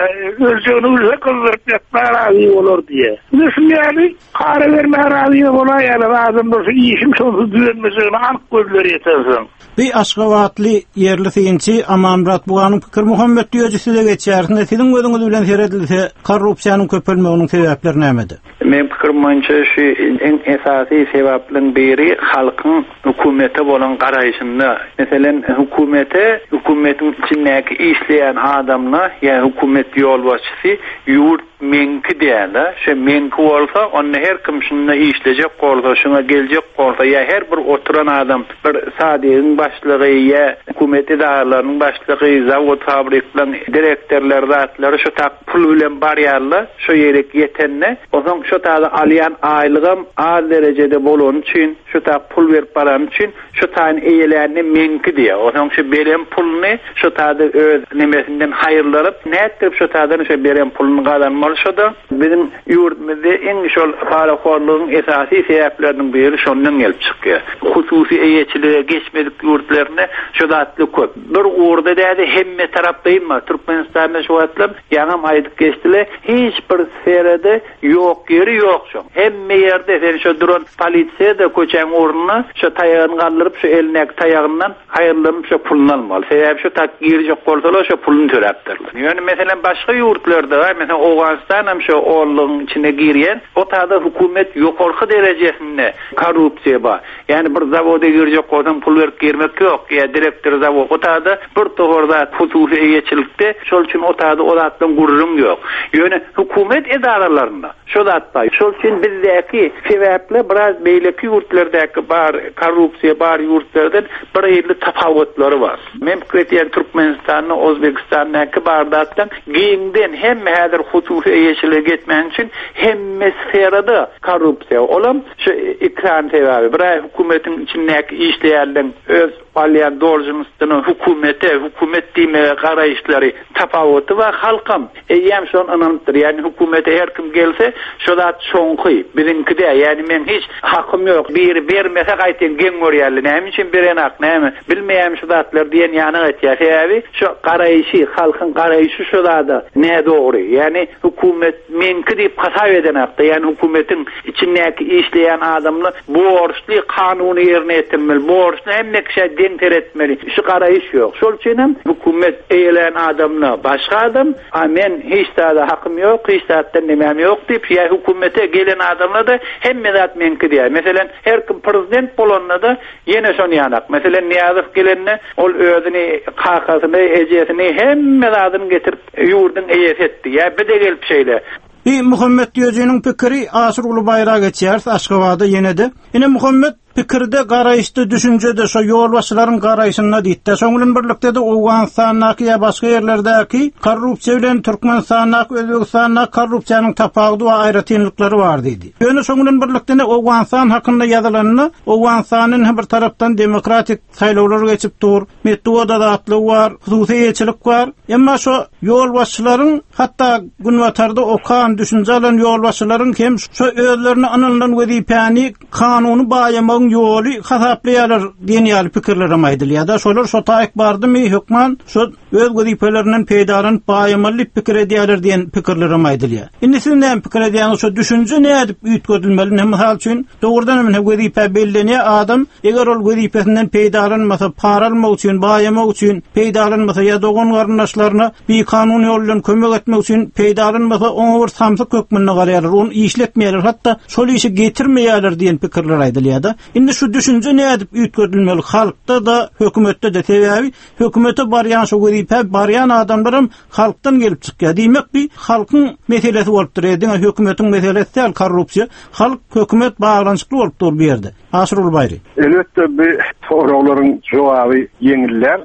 öljegini bilse gyzdyryp ýatmaga razy bolar diýýär. Ine şuny ýaly para bermäge razy bolaýýarlar adamlar şu işiň şonsuz düzelmejegine anyk gözleri ýetensoň. Bi aşgabatly ýerli synçy Amanmyrat Buganyň pikiri Muhammet Düýeji size geçýär. Indi siziň gözüňiz bilen seredilse korrupsiýanyň köpelmeginiň sebäpleri nämede? Meň pikirim boýunça şu iň esasy sebäpleriň biri halkyň hökümete bolan garaýşynda. Meselem, hökümete, hökümetiň içindäki işleýän adamla ýa hökümet ýolbaşçysy ýurt meňki däl-de, şo meňki bolsa, onda her kim şunda işlejek bolsa, şuňa geljek bolsa ýa her bir oturan adam bir sadigiň başlygy ýa hökümet edaralarynyň başlygy, zawod-fabriklaryň direktorlary zatlary şo tak pul bilen barýarlar şo ýerik ýetende, onsoň şo taýda alýan aýlygam az derejede bolany üçin, şo tak pul berip barany üçin, şo taýyny eýelände meňki diýýär. Onsoň şo beren puluny şo taýda öz nemesinden haýyrlanyp, nätdirip şo taýdan şo beren puluny gazanmaly şo-da. Biziň ýurdumyzda iň şol parahorlugyň esasy sebäpleriniň biri şondan gelip çykýar. Hususy eýeçilige geçmedik ýurtlarynda şo zatlar köp. Bir ugurda däl-de hemme taraplaýyn bar. Türkmenistanda şu wagtlam ýaňam aýdyp geçdiler, hiç bir sferada ýok ýeri ýok şoň. Hemme ýerde sen şo duran polisiýa-da köçäň ugrunda şo taýagyny galdyryp şo elindäki taýagyndan haýyrlanyp şo puluny almaly. Sebäbi şo tak girjek bolsalar şo puluny töläpdirler. Ýöne meselem başga ýurtlarda meselem Owganystanam şo onlugyň içine girýän o tada hökümet ýokarky derejesinde korrupsiýa bar. Ýagny bir zawoda girjek bolsaň pul berip girmek ýok, ýa direktor zawod o tada bir topar zat hususy eýeçilikde şol üçin o tada o zatdan gürrüň ýok. Ýöne hökümet edaralarynda şo zat bar. Şol üçin bizdäki sebäpli biraz beýleki ýurtlardaky bar korrupsiýa bar ýurtlardan bir hili tapawutlary bar. Men pikir edýän Türkmenistanda Ozbegistandaky bar zatdan giňden hemme häzir hususy eýeçilige geçmäni üçin hemme sferada korrupsiýa olam şu iki sany sebäbi bir aý hökümetiň içindäki işleýänleň öz alýan dolžnostuna hökümete hökümet diýmege garaýyşlary tapawuty bar halkam Eýýäm şony ynanypdyr. Ýagny hökümete her kim gelse, şo zat şoňky, biziňki däl. Ýagny meň hiç hakym ýok. Biri bermese gaýtam geň görýärler. Näme üçin berenak, näme, bilmeýärmi şu zatlary diýen ýanak etýär. Sebäbi şo garaýşy, halkyň garaýşy şo zada nädogry. Ýagny hökümet meňki diýip hasap edenakda. Ýagny hökümetiň içindäki işleýän adamlar borçly kanuny ýerine ýetirmeli, borçly hemme kişä deň seretmeli. Şu garaýyş ýok. Şol üçin hem hökümet eýelän adamda başga adam, a men hiç zada hakym ýok, hiç zatdan nemäm ýok diýip, ýa hökümete gelen adamlar-da hemme zat meňki diýýär. Meselem, her kim prezident bolanda-da ýene şony ýanak. Meselem, Nyýazow gelende ol özüni, kakasyny, ejesini, hemme zadyny getirip ýurduň eýesi etdi. Ýa bi-de gelip şeýle. Bi Muhammet Düýejiniň pikiri Aşyrguly Baýra geçýäris Aşgabada ýene-de. Ine Muhammet pikirde, garaýyşda, düşünjede şo ýolbaşçylaryň garaýşynda diýdi-de. Şoň bilen birlikde-de Owganystandaky ýa başga ýerlerdäki korrupsiýa bilen Türkmenistandaky, Özbegistandaky korrupsiýanyň tapawudy we aýratynlyklary bar diýdi. Ýöne şoň bilen birlikde-de Owganystan hakynda ýazylanda Owganystanda ine bir tarapdan demokratik saýlawlar geçip dur, metbugat azatlygy bar, hususy eýeçilik bar. Emma şo ýolbaşçylaryň, hatda Günbatarda okan, düşünje alan ýolbaşçylaryň hem şo özlerine ynanylan wezipäni kanuny baýamagyň ýoly hasaplaýarlar diýen ýaly pikirlerem aýdylýar-da. Şolar şo taýyk bardymy, hökman şo öz wezipelerinden peýdalanyp baýamaly diýip pikir edýärler diýen pikirlerem aýdylýar. Indi siz näme pikir edýäňiz, şo düşünje nädip üýtgedilmeli? Ine, mysal üçin, dogrudan hem ine wezipä bellenýär adam, eger ol wezipesinden peýdalanmasa, para almak üçin, baýamak üçin peýdalanmasa ýa dogan-garyndaşlaryna bikanun ýol bilen kömek etmek üçin peýdalanmasa, oňa bir samsyk hökmünde garaýarlar, ony işletmeýärler, hatda şol işi getirmeýärler diýen pikirler aýdylýar-da. Indi şu düşünje nädip üýtgedilmeli halkda-da, hökümetde-de? Sebäbi hökümete barýan şu wezipä barýan adamlaram halkdan gelip çykýar. Diýmek bi halkyň meselesi bolup durýar. Diňe hökümetiň meselesi däl korrupsiýa. Halk, hökümet baglanyşykly bolup dur bu ýerde. Aşyrguly Baýry. Elbetde bu soraglaryň jogaby ýeňil däl.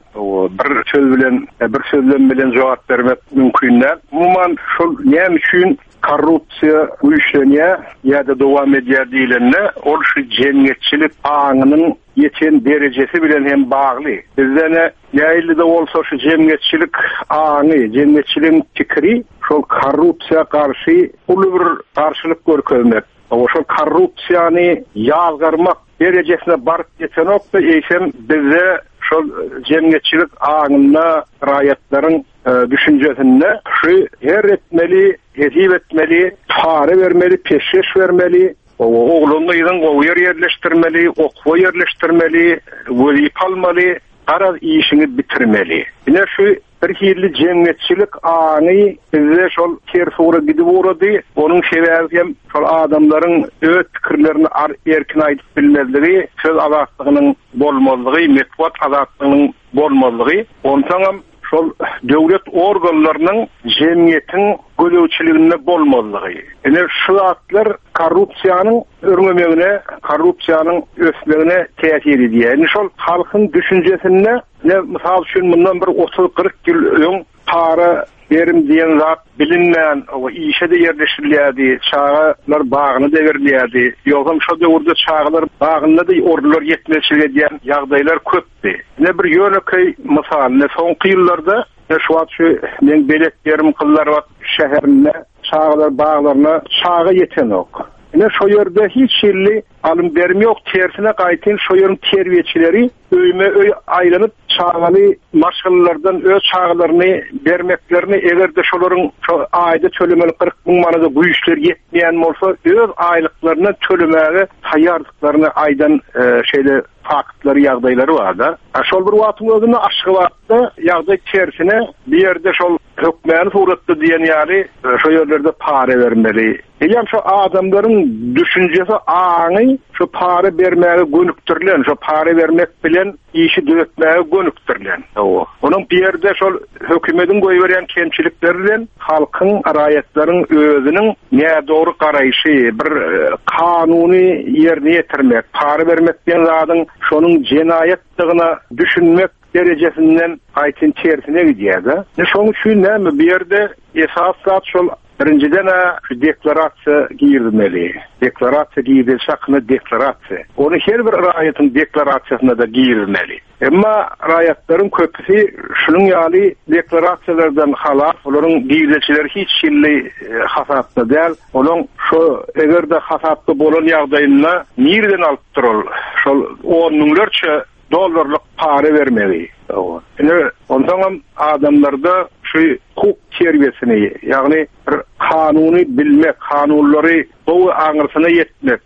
Bir söz bilen, bir sözlem bilen jogap bermek mümkin däl. Umuman şol näme üçin korrupsiýa güýçlenýär ýa-da dowam edýär diýlende, ol şu jemgyýetçilik aňynyň ýeten derejesi bilen hem bagly. Bizde ne nähili-de bolsa şu jemgyýetçilik aňy, jemgyýetçiligiň pikiri şol korrupsiýa garşy uly bir garşylyk görkezmek, şol korrupsiýany ýazgarmak derejesine baryp ýetenok-da, eýsem bizde şol jemgyýetçilik aňynda raýatlaryň düşünjesinde şu her etmeli, hesip etmeli, para bermeli, peşgeş bermeli, oglan gyzyň gowy ýer ýerleşdirmeli, okuwa ýerleşdirmeli, wezipe almaly, garaz işiňi bitirmeli. Ine şu bir hili jemgyýetçilik aňy bizde şol ters ugra gidip ugrady. Onuň sebäbi hem şol adamlaryň öz pikirlerini erkin aýdyp bilmezligi, söz azatlygynyň bolmazlygy, metbugat azatlygynyň bolmazlygy, onsoňam şol döwlet organlarynyň jemgyýetiň gözegçiliginde bolmazlygy. Ine şu zatlar korrupsiýanyň örňemegine, korrupsiýanyň ösmegine täsir edýär. Indi şol halkyň düşünjesinde, ine mysal üçin mundan bir otuz-kyrk ýyl öň para berim diýen zat bilinmän, işe-de ýerleşdirilýärdi, çagalar bagyna-da berilýärdi. Ýogsam şo döwürde çagalar bagynda-da orunlar ýetmezçilik edýän ýagdaýlar köpdi. Ine bir ýönekeý mysal, ine soňky ýyllarda, ine şu wagt şu meň belet ýerim Gyzlarbat şäherinde çagalar baglaryna çaga ýetenok. Ine şo ýerde hiç hili alym-berim ýok, tersine gaýtyn şo ýeriň terbiýeçileri öýme-öý aýlanyp, çagaly maşgalalardan öz çagalaryny bermeklerini, eger-de şolaryň şo aýda tölemeli 40 müň manada güýçleri ýetmeýän bolsa, öz aýlyklaryndan tölemäge taýýardyklaryny aýdan e, şeýle faktlary, ýagdaýlary bar-da. Şol bir wagtyň özünde Aşgabatda ýagdaý tersine, bu ýerde şol hökmany suratda diýen ýaly e, şo ýerlerde para bermeli, Eýýäm şo adamlaryň düşünjesi, aňy şo para bermäge gönükdirilen, şo para bermek bilen işi düzetmäge gönükdirilen. Hawa. Onuň bu ýerde şol hökümediň goýberýän kemçilikleri bilen halkyň, raýatlaryň özüniň nädogry garaýşy, bir kanuny ýerine ýetirmek, para bermek diýen zadyň şonuň jenaýatdygyna düşünmek derejesinden gaýtyn tersine gidýär-de. Şonuň üçin näme bu ýerde esasy zat şol Birinjiden-ä şu deklarasiýa girizmeli. Deklarasiýa girizilişi hakynda deklarasiýa. Ony her bir raýatyň deklarasiýasynda-da girizmeli. Emma raýatlaryň köpüsi şunuň ýaly deklarasiýalardan halas, olaryň girdejileri hiç hili hasapda däl. Olaň şo eger-de hasapda bolan ýagdaýynda nireden alypdyr ol şol on müňlerçe dollarlyk para bermegi. Ine, onsoňam adamlarda şu hukuk terbiýesini, ýagny bir kanuny bilmek, kanunlary gowy aňyrsyna ýetmek,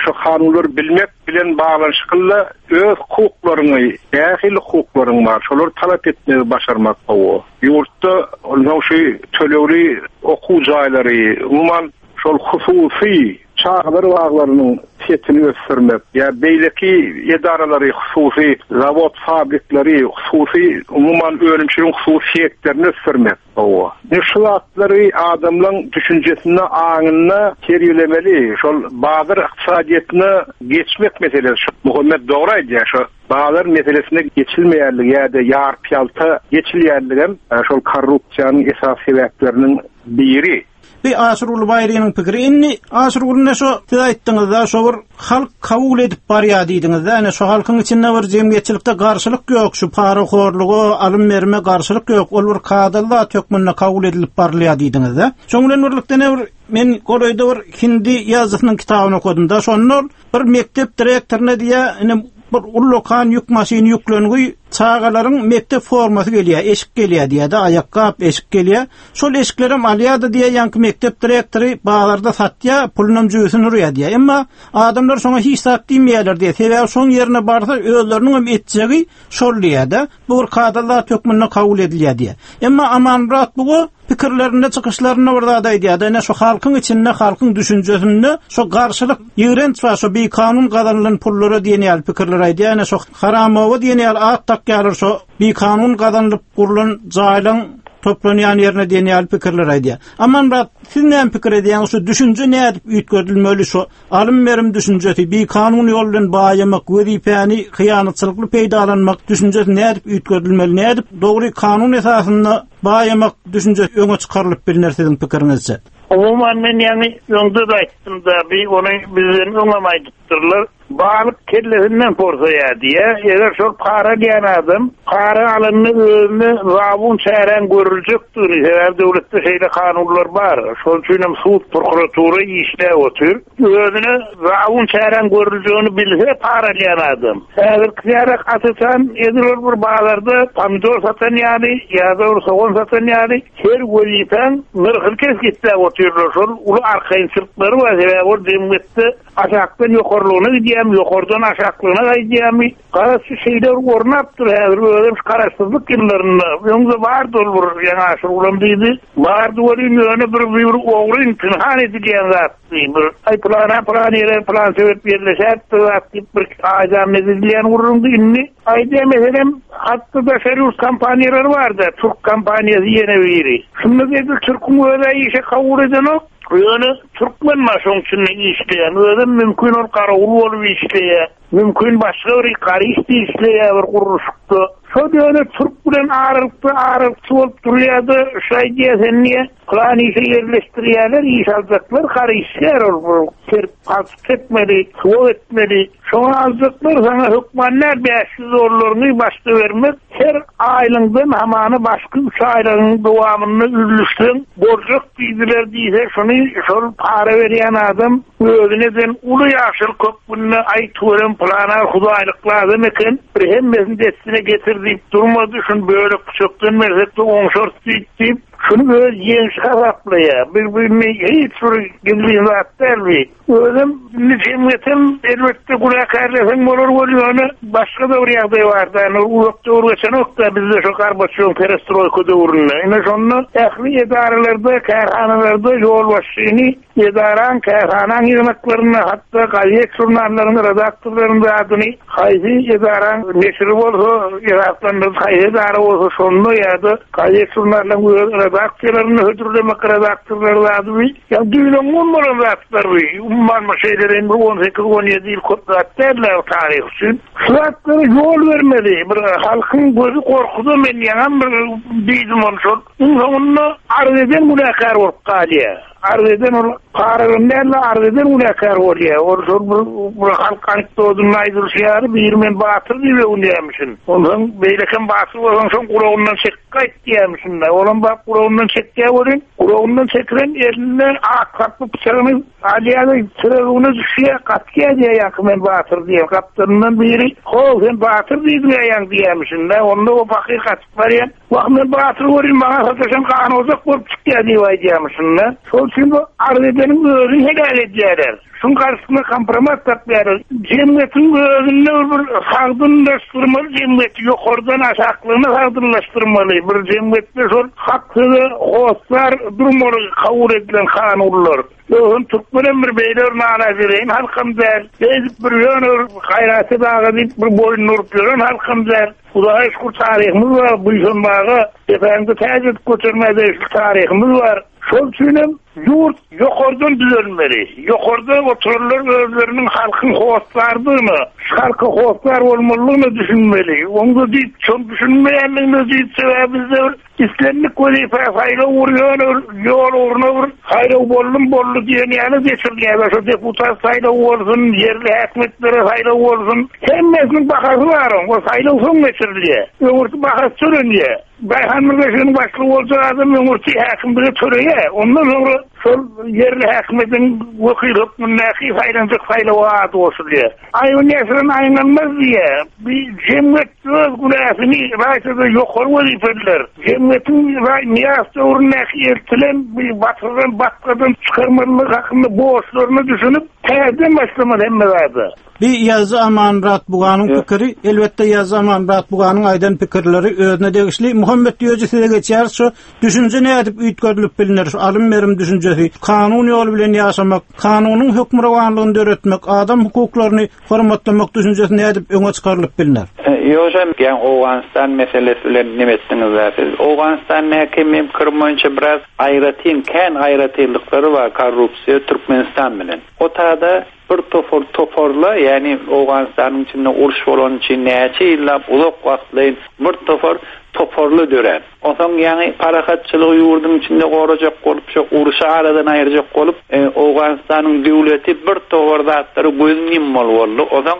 şu kanunlary bilmek bilen baglanyşykly öz hukuklaryňy, nähili hukuklaryň bar, şolary talap etmegi başarmak gowy. Ýurtda onsoň şu tölegli okuw jaýlary, umuman, Şol hususy çagalar baglarynyň setini ösdürmek ýa beýleki edaralary, hususy zawod-fabrikleri, hususy, umuman, önümçiligiň hususy sektoryny ösdürmek. Hawa. Ine, şu zatlary adamlaň düşünjesinde, aňynda terbiýelemeli. Şol bazar ykdysadyýetine geçmek meselesi. Şu Muhammet dogry aýdýar, şo bazar meselesine geçilmeýänligi ýa-da ýarpy-ýalta geçilýänligem şol korrupsiýanyň esasy sebäpleriniň biri. Bi Aşyrguly Baýrynyň pikiri. Indi Aşyrguly ine şo siz aýtdyňyzda şo bir halk kabul edip barýar diýdiňizde ine şo halkyň içinde bir jemgyýetçilikde garşylyk ýok şu parahorluga alym berime garşylyk ýok ol bir kadaly zat hökmünde kabul edilip barylýar diýdiňizde. Şoň bilen birlikde ine bir men golaýda bir hindi ýazyjysynyň kitabyny okadymda şonda ol Bir mekdep direktoryna diýýär, ine bir ullakan ýük maşyny ýüklengi çagalaryň mekdep formasy gelýär, eşik gelýär diýýär-de, aýakgap, eşik gelýär. Şol eşiklerem alýar-da diýýär, ýaňky mekdep direktory bazarda satýar, pulunam jübüsine urýar diýýär. Emma adamlar şoňa hiç zat diýmeýärler diýýär. Sebäbi şoň ýerine barsa özleriniňem etjegi şol diýýär-de. Bu bir kadaly zat hökmünde kabul edilýär diýýär. Emma Amanmyrat buga. pikirlerinde, çykyşlarynda bir zat aýdýar-da, ine şu halkyň içinde, halkyň düşünjesinde şu garşylyk, ýigrenç bar, şu bikanun gazanylan pullara diýen ýaly pikirler aýdýar. Ine şu Haramowa diýen ýaly at dakýarlar şu bikanun gazanylyp gurlan jaýlaň toplanýan ýerine diýen ýaly pikirler aýdýar. Amanmyrat, siz näme pikir edýäňiz, şu düşünje nädip üýtgedilmeli, şu alym-berim düşünjesi, bikanun ýol bilen baýamak, wezipäni hyýanatçylykly peýdalanmak düşünjesi nädip üýtgedilmeli, nädip dogry kanun esasynda baýamak düşünjesi öňe çykarylyp bilner siziň pikiriňizçe? Umuman men ýaňy öňde-de aýtdym-da, bi ony bizden öňem aýdypdyrlar. Balyk kellesinden porsaýar diýýär. Eger şol para alýan adam para alanda özüne zabun çäräň görüljekdigini, sebäbi döwletde şeýle kanunlar bar, şol üçin hem sud, prokuratura işläp otyr. Özüne zabun çäräň görüljegini bilse para alýan adam. Häzirki ýarak atytan edil ol bir bazarda pomidor satan ýaly ýa-da bir sogan satan ýaly her wezipäň nyrhyny kesgitläp otyrlar. Şol uly arkaýynçylyklary bar, sebäbi ol jemgyýetde Aşakdan ýokarlygyna gidýärmi, ýokardan aşaklygyna gaýdýarmy? Garaz, şu şeýle bir ornapdyr häzir, özem şu garaşsyzlyk ýyllarynda. Öňde bardy ol bir, ýaňy Aşyrgulam diýdi. Bardy welin, ýöne bir bir ogryn, pynhan edilýän zatdy. Bir, aý, pylana pylan ýere pylan sebäp ýerleşäýipdir zat diýip bir aýdam edilýän gürrüňdi. Indi aýdýan meselem, hatda daşary ýurt kompaniýalary bar-da, türk kompaniýasy ýene biri. Şunda edil türküň öz-ä işe kabul edenok. Ýöne türkmen bar şoň içinde işleýän, özem mümkin ol garawul bolup işleýär, mümkin başga bir garyşda işleýär bir gurluşykda. Şol ýöne türk bilen aralykda aralykçy bolup durýar-da, şu aýdýar sen diýýär, pylan işe ýerleşdirýärler, iş aljaklar gary işgär ol bir kerip palçyk çekmeli, suwag etmeli. Şoňa aljaklar saňa hökman däl 500 dollaryňy başda bermek, her aýlyňdan hamana başky üç aýlygyň dowamynda üzlüşseň boljak diýdiler diýse şuny şol para berýän adam özüne eden uly ýagşylyk hökmünde aý tüweleme pylana hudaýlykly adam eken bir hemmesini dessine getir diýip durmady şuny bölek püçekden bersekde oňşarys diýip diýip şuny öz ýeňşi hasaplaýar. Bir bu indi hiç bir gizlin zat däl bi. Özem indi jemgyýetem elbetde günäkärleseň bolar weli ýöne başga-da bir ýagdaý barda, indi uzak döwür geçenok-da bizde şo Gorbaçýowyň perestroýka döwründe. Ine şonda ähli edaralarda, kärhanalarda ýolbaşçyny edaraň, kärhanaň ýygnaklarynda, hatda gazet-žurnallaryň redaktorlarynyň zadyny haýsy edaraň neşiri bolsa, esaslandyryjy haýsy edara bolsa şonda ýa-da gazet-žurnallaryň öz redaksiýalarynda hödürlemek redaktorlary zady bi Ýa düýn-öňňun bolan zatlar bu. Umuman bir şeýleräň bir on sekiz, on ýedi ýyl köp zat däl-ä taryh üçin. Şu zatlara ýol bermeli. Bir halkyň gözi gorkuda men ýaňam bir diýdim ony şol. Iň soňunda arz eden günäkär bolup galýar. Arz eden ol paralan däl-de arz eden günäkär bolýar. Ol şol bir bir halk anekdodynda aýdylyşy ýaly biri men batyr diýip öwünýärmişin. Onsoň beýlekem batyr bolsaň şoň gulagyndan çekip gaýt diýýärmişin-de. Olam baryp gulagyndan çekýär welin, Gulagyndan çekilen elinde ak saply pyçagyny alýar-da, töweregine düşýär, gaçýar diýýär ýaňky men batyr diýen. Gapdalyndan biri, How, sen batyr diýdiň-ä ýaňy diýýärmişin-dä. Onda o pahyr gaçyp barýar. Wah, men batyr welin, maňa sataşan ganojak bolup çykýar diýip aýdýarmyşyn-da. Şol üçin bu arz edeniň özüni heläk edýärler. Şuň garşysyna kompromat tapýarlar. Jemgyýetiň özünde bir sagdynlaşdyrmaly jemgyýeti ýokardan aşaklygyna sagdynlaşdyrmaly. Bir jemgyýetde şol hak söze hossar durmaly kabul edilen kanunlar. Ýogsam türkmenem bir beýle bir nalajedeýin halkam däl. Beýdip bir ýöne bir gaýraty daga diýip bir boýnuny urup ýören halkam däl. Hudaýa şükür taryhymyz bar, buýsanmaga, depäňde täç edip götermäge degişli taryhymyz bar. Şol üçinem Ýurt ýokardan düzelmeli. Ýokarda oturanlar özleriniň halkyň hossardygyna, şu halka hossar bolmalydygyna düşünmeli. Oňda diýip, şol düşünmeýändigine diýip, sebäbi bizde bir islendik wezipä saýlaw bir ýöne bir ýol ugruna bir saýlaw boldum boldy diýen ýaly geçirilýär. Şo deputat saýlawy bolsun, ýerli häkimiýetlere saýlaw bolsun, hemmesiniň bahasy bar oň. O saýlaw soň geçirilýär. Öňürti bahasy tölenýär. Daýhan birleşiginiň başlygy boljak adam öňürti häkimlige töleýär. Ondan soňra şol ýerli häkimiýetiň wekili hökmündäki saýlanjak saýlawa ady goşulýar. Aýbyny ýaşyran aýňalmaz diýýär. Bir jemgyýet öz günäsini ylaýta-da ýokary wezipeliler jemgyýetiň Nyýazow döwründäki eltilen bir batyrdan batgadan çykarmalylygy hakynda borçlaryna düşünip, täzeden başlamaly hemme zada. Bi ýazyjy Amanmyrat Buganyň pikiri, elbetde ýazyjy Amanmyrat Buganyň aýdan pikirleri özüne degişli. Muhammet Düýeji size geçýäris şu düşünje nädip üýtgedilip bilner şu alym-berim düşünjesi, kanun ýoly bilen ýaşamak, kanunyň hökmürowanlygyny döretmek, adam hukuklaryny hormatlamak düşünjesi nädip öňe çykarylyp bilner? Ýogsam ýaňy Owganystan meselesi bilen neme etdiňiz-dä siz? Owganystan näki meň pikirim boýunça biraz aýratyn, kän aýratynlyklary bar korrupsiýa Türkmenistan bilen. O tada Bir topar toparla, ýagny Owganystanyň içinde uruş bolany üçin näçe ýyllap uzak wagtlaýyn bir topar toparly dörän. Onsoň ýaňy parahatçylygy ýurduň içinde gorajak bolup, şo urşy aradan aýyrjak bolup, Owganystanyň döwleti bir topar zatlara gözüni ýummaly boldy. Onsoň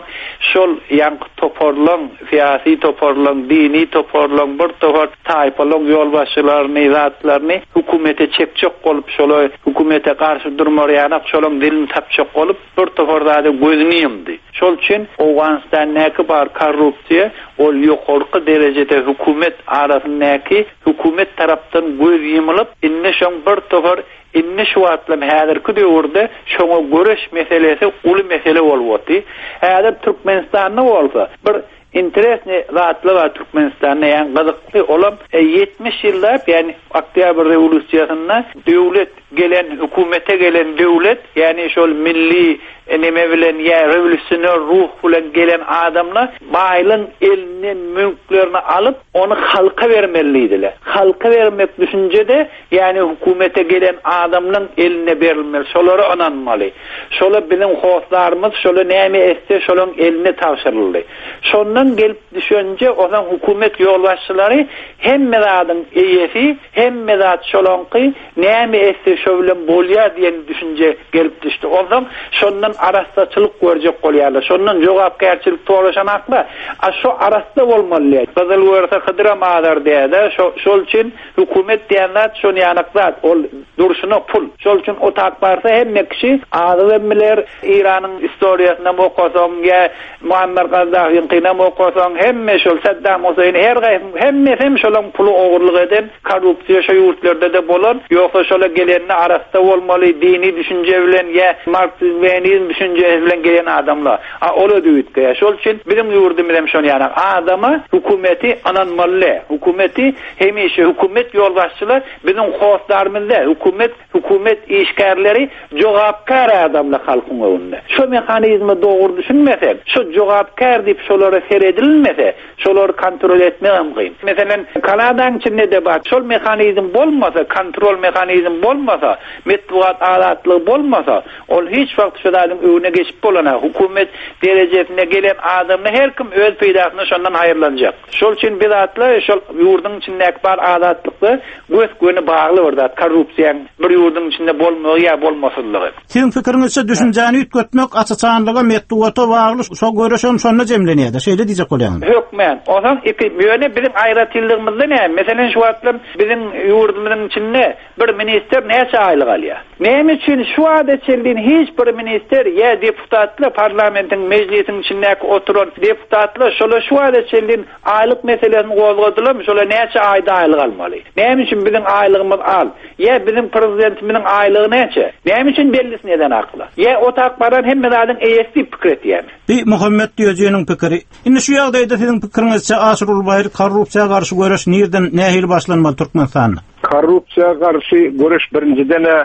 şol ýaňky toparlaň, syýasy toparlaň, dini toparlaň, bir topar taýpalaň ýolbaşçylaryny, zatlaryny hökümete çekjek bolup, şola hökümete garşy durmar ýanak şolaň dilini tapjak bolup, bir topar zada gözüni ýumdy. Şol üçin Owganystandäki bar korrupsiýa, ol ýokarky derejede hökümet arasyndaky hökümet tarapdan göz ýumulyp, indi şoň bir topar indi şu wagtlam häzirki döwürde şoňa göreş meselesi uly mesele bolup oty. Häzir Türkmenistanda bolsa bir Interesnyý zatlar bar Türkmenistanda ýagny gyzykly olam 70 ýyllap ýagny oktýabr rewolýusiýasynda döwlet gelen hökümete gelen döwlet ýagny şol milli neme bilen ýa rewolýusioner ruh bilen gelen adamlar baýlaň elinden mülklerini alyp ony halka bermeli diýdiler. Halka bermek düşünjede Ýagny hökümete gelen adamlaň eline berilmeli, şolara ynanmaly. Şola biziň hossarymyz, şola näme etse şolaň eline tabşyryldy. Şondan gelip düşenje ozaň hökümet ýolbaşçylary hemme zadyň eýesi, hemme zat şolaňky, näme etse şo bilen bolýar diýen düşünje gelip düşdi. Onsoň şondan arassaçylyk görjek bolýarlar. Şondan jogapkärçilik soraşanaklar. A şo arassa bolmaly diýýär. Gyzyl görse Hydyram azar diýýär-de, şo şol üçin Hökümet diýen zat şon ýanak zat, ol durşuna pul. Şol üçin otap barsa hemme kişi azybem biler, Eýranyň istoriýasynam okasaň ýa Muammar Gazzafyňkynam okasaň hemme şol Saddam Huseýn her gaýsy hemmesem şolaň puly ogurlyk eden korrupsiýa şo ýurtlarda-da bolan, ýogsa şola gelende arassa bolmaly dini düşünje bilen ýa marksizm lenizm düşünjesi bilen gelen adamlar. A ola üýtgeýär. Şol üçin biziň ýurdumyzam şon ýanak adama hökümeti ynanmaly däl. Hökümeti Hemişe hökümet ýolbaşçylar biziň hossarymyz däl, hökümet, hökümet işgärleri jogapkär adamlar halkyň öňünde. Şo mehanizme dogry düşünmesek, şo jogapkär diýip şolara seredilmese, şolary kontrol etmegem kyn. Meselem, Kanadaň içinde-de bar, şol mehanizm bolmasa, kontrol mehanizm bolmasa, metbugat azatlygy bolmasa, ol hiç wagt şu zadyň öňüne geçip bolanok. Hökümet derejesine gelen adamlar her kim öz peýdasyna şondan haýyrlanjak. Şol üçin biz atly şol ýurduň içindäki bar azatlykda gös-göni bagly bir zat korrupsiýaň bir ýurduň içinde bolmagy ýa bolmasyzlygy. Siziň pikiriňizçe düşünjäni üýtgetmek aç-açanlyga metbugata bagly şo göreşem şonda jemlenýärde şeýle diýjek bolýaňyzmy? Hökmän. Onsoň iki ýöne biziň aýratynlygymyzda näme? Meselem şu wagtlam biziň ýurdumyzyň içinde Bir ministr näçe aýlyk alýar? Näme üçin şu wagta çenli hiç bir ministr ýa deputatlar parlamentiň mejlisiň içindäki oturan deputatlar şolar şu wagta çenli aýlyk meselesini gozgadylarmy şolar näçe aýda aýlyk almaly? Näme üçin biziň aýlygymyz az? Ýa biziň prezidentimiziň aýlygy näçe? Näme üçin bellisini edenaklar? Ýa otak baran hemme zadyň eýesi diýip pikir etýärmi? Bi Muhammet Düýejiniň pikiri. Indi şu ýagdaýda siziň pikiriňizçe Aşyr Ulbaýry korrupsiýa garşy göreş nirden nähili başlanmaly Türkmenistanda? Korrupsiýa garşy göreş birinjiden-ä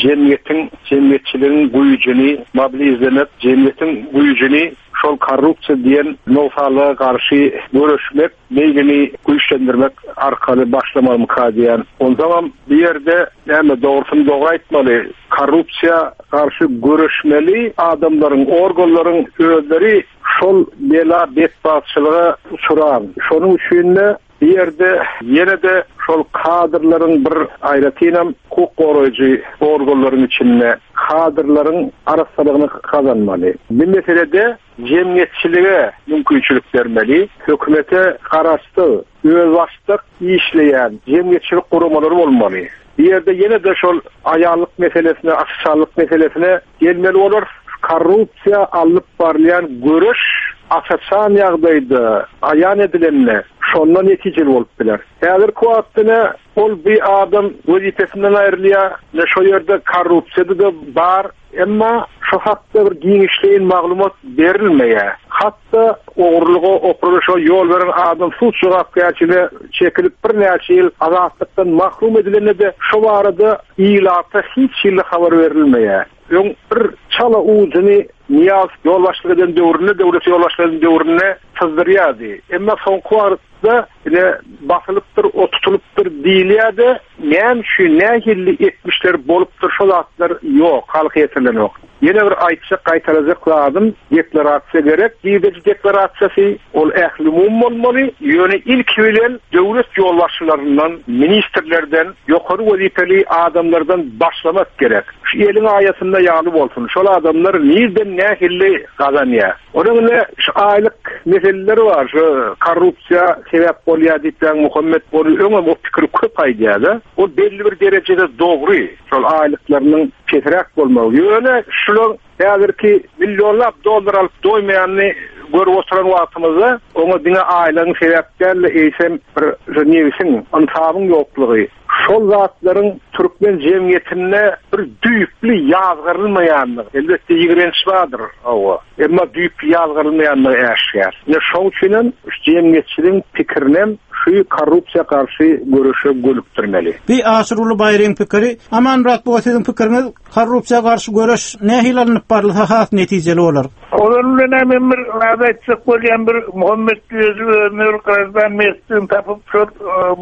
jemgyýetiň, jemgyýetçiligiň güýjüni mobilizlemek, jemgyýetiň güýjüni şol korrupsiýa diýen nogsanlyga garşy göreşmek meýlini güýçlendirmek arkaly başlamalymyka diýýän. Onsoňam bu ýerde näme dogrusyny dogry aýtmaly, korrupsiýa garşy göreşmeli adamlaryň, organlaryň özleri şol bela betbagtçylyga uçran. Şonuň üçin-de Bu ýerde ýene-de şol kadrlaryň bir aýratynam hukuk goraýjy organlaryň içinde kadrlaryň arassalygyny gazanmaly. Bu meselede jemgyýetçilige mümkinçilik bermeli, hökümete garaşsyz, özbaşdak işleýän jemgyýetçilik guramalary bolmaly. Bu ýerde ýene-de şol aýallyk meselesine, aç-açanlyk meselesine gelmeli bolarys. Korrupsiýa alnyp barylýan göreş aç-açan ýagdaýda aýan edilende, şonda netijeli bolup biler. Häzirki wagtda ine, ol bir adam wezipesinden aýrylýar, ine şo ýerde korrupsiýada-da bar. Emma şu hakda bir giňişleýin maglumat berilmeýär. Hat-da ogurlyga, opurylyşa ýol beren adam sud jogapkärçiligine çekilip birnäçe ýyl azatlykdan mahrum edilende-de şu barada ilata hiç hili habar berilmeýär. Öň bir çala ujuny Nyýazow ýolbaşçylyk eden döwründe, döwlete ýolbaşçylyk eden döwründe syzdyrýardy. Emma soňky wagtda ine basylypdyr, o tutulypdyr diýilýär-de, näme üçin, nähili etmişler bolupdyr, şo zatlar ýok, halka ýetirilenok. Ýene bir aýtjak, gaýtalajak zadym, deklarasiýa gerek, girdeji deklarasiýasy, ol ählumumy bolmaly, ýöne ilki bilen döwlet ýolbaşçylaryndan, ministrlerden, ýokary wezipeli adamlardan başlamak gerek. Şu eliň aýasynda ýaly bolsun, şol adamlar nirden nähili gazanýar. Onuň ine şu aýlyk meseleleri bar, şu korrupsiýa sebäp bolýar diýip ýaňy Muhammet ony öňem o pikiri köp aýdýar-da. Ol belli bir derejede dogry, şol aýlyklarynyň pesräk bolmagy. Ýöne şular häzirki millionlap dollar alyp doýmaýanyny görüp oturan wagtymyzda oňa diňe aýlygyň sebäp däl-de, eýsem bir şu nebsiň, ynsabyň ýoklugy, Şol zatlaryň türkmen jemgyýetinde bir düýpli ýazgarylmaýandygy, elbetde ýigrenç bardyr, hawa, emma düýpli ýazgarylmaýandygy äşgär. Ine şoň üçinem şu jemgyýetçiligiň pikirinem şu korrupsiýa garşy göreşe gönükdirmeli. Bi Aşyrguly Baýryň pikiri. Amanmyrat buga siziň pikiriňiz korrupsiýa garşy göreş nähili alnyp barylsa has netijeli bolar? Olar bilen men bir zat aýtjak bolýan bir Muhammet Düýeji özüne bir graždan mertligini tapyp şol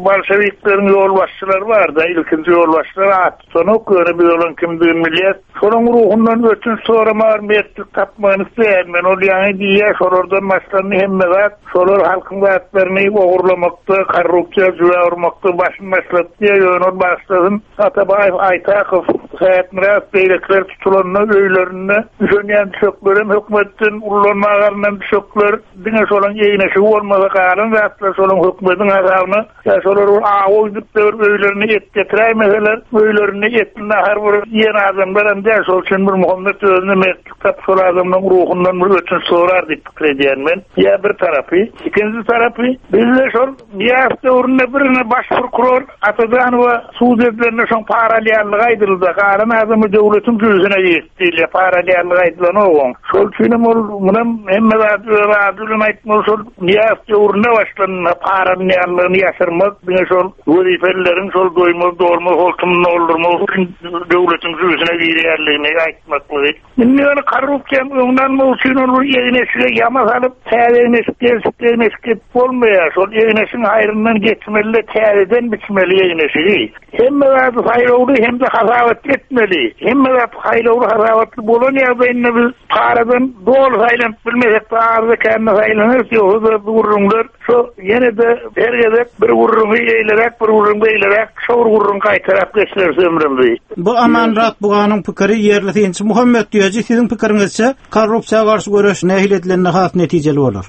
bolşewikleriň ýolbaşçylary barda ilkinji ýolbaşçylar at tutanok ýöne biz olaň kimdigini bilýäs. Şolaň ruhundan ötünç soramaga mertlik tapmagyny isleýän men ol ýaňy diýýär şolardan başlandy hemme zat şolar halkyň zatlaryny ogurlamakda korrupsiýa jübä urmakda başyny başlady diýýär ýöne ol başlasyn Atabaýew, Aýtakow, Sähetmyradow beýlekiler tutulanda öýlerinde düşenýän düşeklerem hökümetden ullanmaga alnan düşekler, diňe şolaň egin-eşigi bolmasa galan zatlar şolaň hökümediň hasabyna, ýa şolar bir awa gidip-de bir öýlerine et getiräýmeseler, öýlerinde etli nahar bir iýen adamlaram däl, şol üçin bir Muhammet özüne mertlik tapyp şol adamlaň ruhundan bir ötünç sorar diýip pikir edýän men. Ýa bir tarapy. Ikinji tarapy, bizde şol Nyýazow döwründe birine baş prokuror Atajanowa sud edilende şoň para alýanlygy aýdyldy. Galan adamy döwletiň jübüsine girdi diýilýär. Para alýanlygy aýdylanok oň. Şol üçinem ol munam hemme zady öz ady bilen aýtmaly şol Nyýazow döwründe başlandy para alynýanlygyny ýaşyrmak diňe şol wezipelileriň şol doýmaz dolmaz holtumyny doldurmak üçin döwletiň jübüsine girýänligini aýtmaklygy. Indi ýöne korrupsiýanyň öňüni almak üçin ol bir egin-eşige ýama salyp, täze egin-eşik, gelşikli egin-eşik edip bolmaýar. Şol egin-eşigiň haýryndan geçmeli-de, täzeden biçmeli egin-eşigi. Hemme zady saýlawly hem-de hasabatly etmeli. Hemme zat saýlawly, hasabatly bolan ýagdaýynda biz paradan doly saýlanyp bilmesek-de, azda-kände saýlanarys, ýogsa-da bu gürrüňler Şo ýene-de her gezek bir gürrüňi eýleräk, bir gürrüň beýleräk, şo bir gürrüňi gaýtalap geçireris ömrümizi. Bu Amanmyrat Buganyň pikiri, ýerli synçy Muhammet Düýeji, siziň pikiriňizçe, korrupsiýa garşy göreş nähili edilende has netijeli bolar?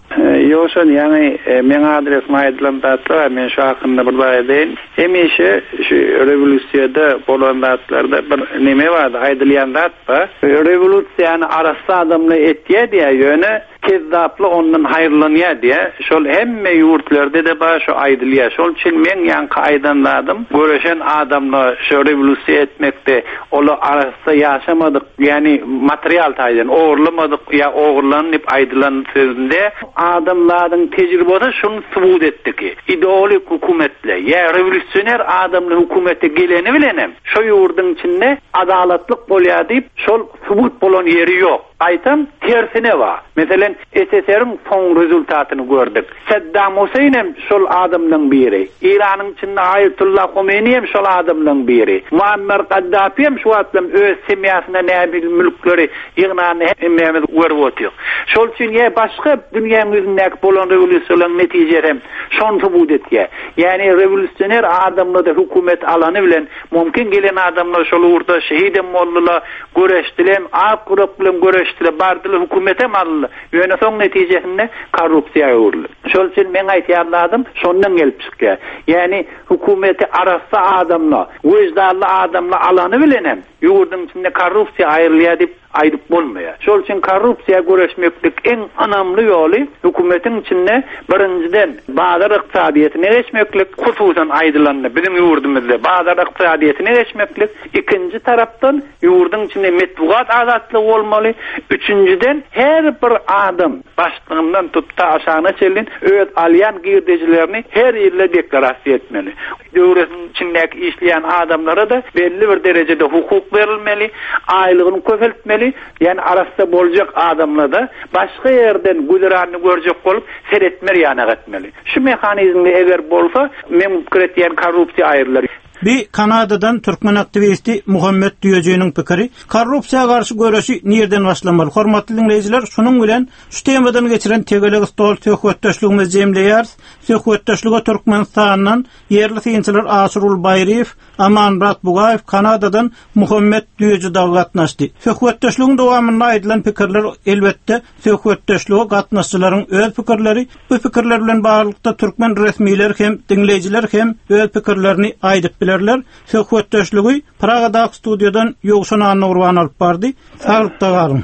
Ýowşan, ýaňy meň adresime aýdylan zatlar bar, men şo hakynda bir zat aýdaýyn. Hemişe şu rewolýusiýada bolan zatlarda bir neme bardy, aýdylýan zat bar. Rewolýusiýany arassa adamlar etýär diýýär, ýöne Kezzaply ondan haýyrlanýar diýä, şol hemme ýurtlarda-da bar şo aýdylýar. Şol üçin meň ýaňky aýdan zadym göreşen adamlar şo rewolýusiýa etmekde olar arassa ýaşamadyk ýani material taýdan ogurlamadyk ýa ogurlan diýip aýdylan sözünde adamzadyň tejribesi şuny subut etdi ki ideolik hökümetle ýa rewolýusioner adamly hökümete geleni bilenem şo ýurduň içinde adalatlyk bolýar diýip şol subut bolan ýeri ýok. Gaýtam, tersine bar. Meselem, SSR-iň soň rezultatyny gördük. Saddam Huseýn hem şol adamlaň biri. Eýranyň içinde Aýatullah Homeýni hem şol adamlaň biri. Muammer Gaddafi hem şu wagtlam öz semýasyna nähili mülkleri ýygnanyny hemmämiz görüp otyk. Şol üçin ýa başga dünýäň ýüzündäki bolan rewolýusiýalaryň netijesi hem şony subut etýär. Ýagny rewolýusioner adamlar-da hökümet alany bilen mümkin gelen adamlar şol ugurda şehidem boldular, Göreşdiler, ak ýürek bilen göreşdiler, bardylar, hökümetem aldylar. Ýöne soň netijesinde korrupsiýa öwrüldi. Şol üçin meň aýtýan zadym şondan gelip çykýar. Ýagny hökümeti arassa adamla, wyždanly adamla alany bilenem ýurduň içinde korrupsiýa aýrylýar diýip aýdyp bolmaýar. Şol üçin korrupsiýa göreşmeklik iň ynamly ýoly hökümetiň içinde birinjiden bazar ykdysadyýetine geçmeklik, hususan aýdylanda biziň ýurdumyzda bazar ykdysadyýetine geçmeklik, ikinji tarapdan ýurduň içinde metbugat azatlygy bolmaly, üçünjiden her bir adam başlygyndan tut ta aşagyna çenli öz alýan girdejilerini her ýylda deklarasiýa etmeli. Döwletiň içindäki işleýän adamlara-da belli bir derejede hukuk berilmeli, aýlygyny köpeltmeli, ýagny arassa boljak adamla-da başga ýerden güzeranyny görjek bolup seretmer ýanak etmeli. Şu mehanizmde eger bolsa, meň pikir etýän korrupsiýa aýrylar. Bi Kanadadan türkmen aktiwisti Muhammet Düýejiniň pikiri. Korrupsiýa garşy göreşi nirden başlamaly? Hormatly diňleýjiler, şunuň bilen şu temadan geçiren tegelek stol söhbetdeşligimizi jemleýäris. Söhbetdeşlige Türkmenistandan ýerli synçylar Aşyrguly Baýryýew, Amanmyrat Bugaýew, Kanadadan Muhammet Düýeji dagy gatnaşdy. Söhbetdeşligiň dowamynda aýdylan pikirler, elbetde, söhbetdeşlige gatnaşyjylaryň öz pikirleri. Bu pikirler bilen baglylykda türkmen resmileri hem, diňleýjiler hem öz pikirlerini aýdyp bilerler. Söhbetdeşligi Pragadaky studiýadan Ýowşan Annagurban alyp bardy. Saglykda galyň!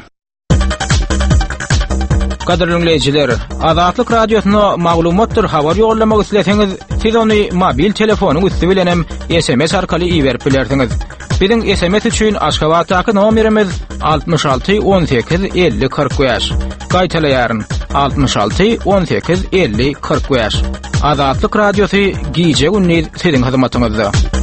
Gadyrly diňleýjiler, Azatlyk Radiosyna maglumatdyr habar ýollamak isleseňiz, siz ony mobil telefonyň üsti bilen hem SMS arkaly iberip bilersiňiz. Biziň SMS üçin Aşgabatdaky nomerimiz 66 18 50 45. Gaýtalaýaryn, 66 18 50 45. Azatlyk Radiosy gije-gündiz siziň hyzmatyňyzda.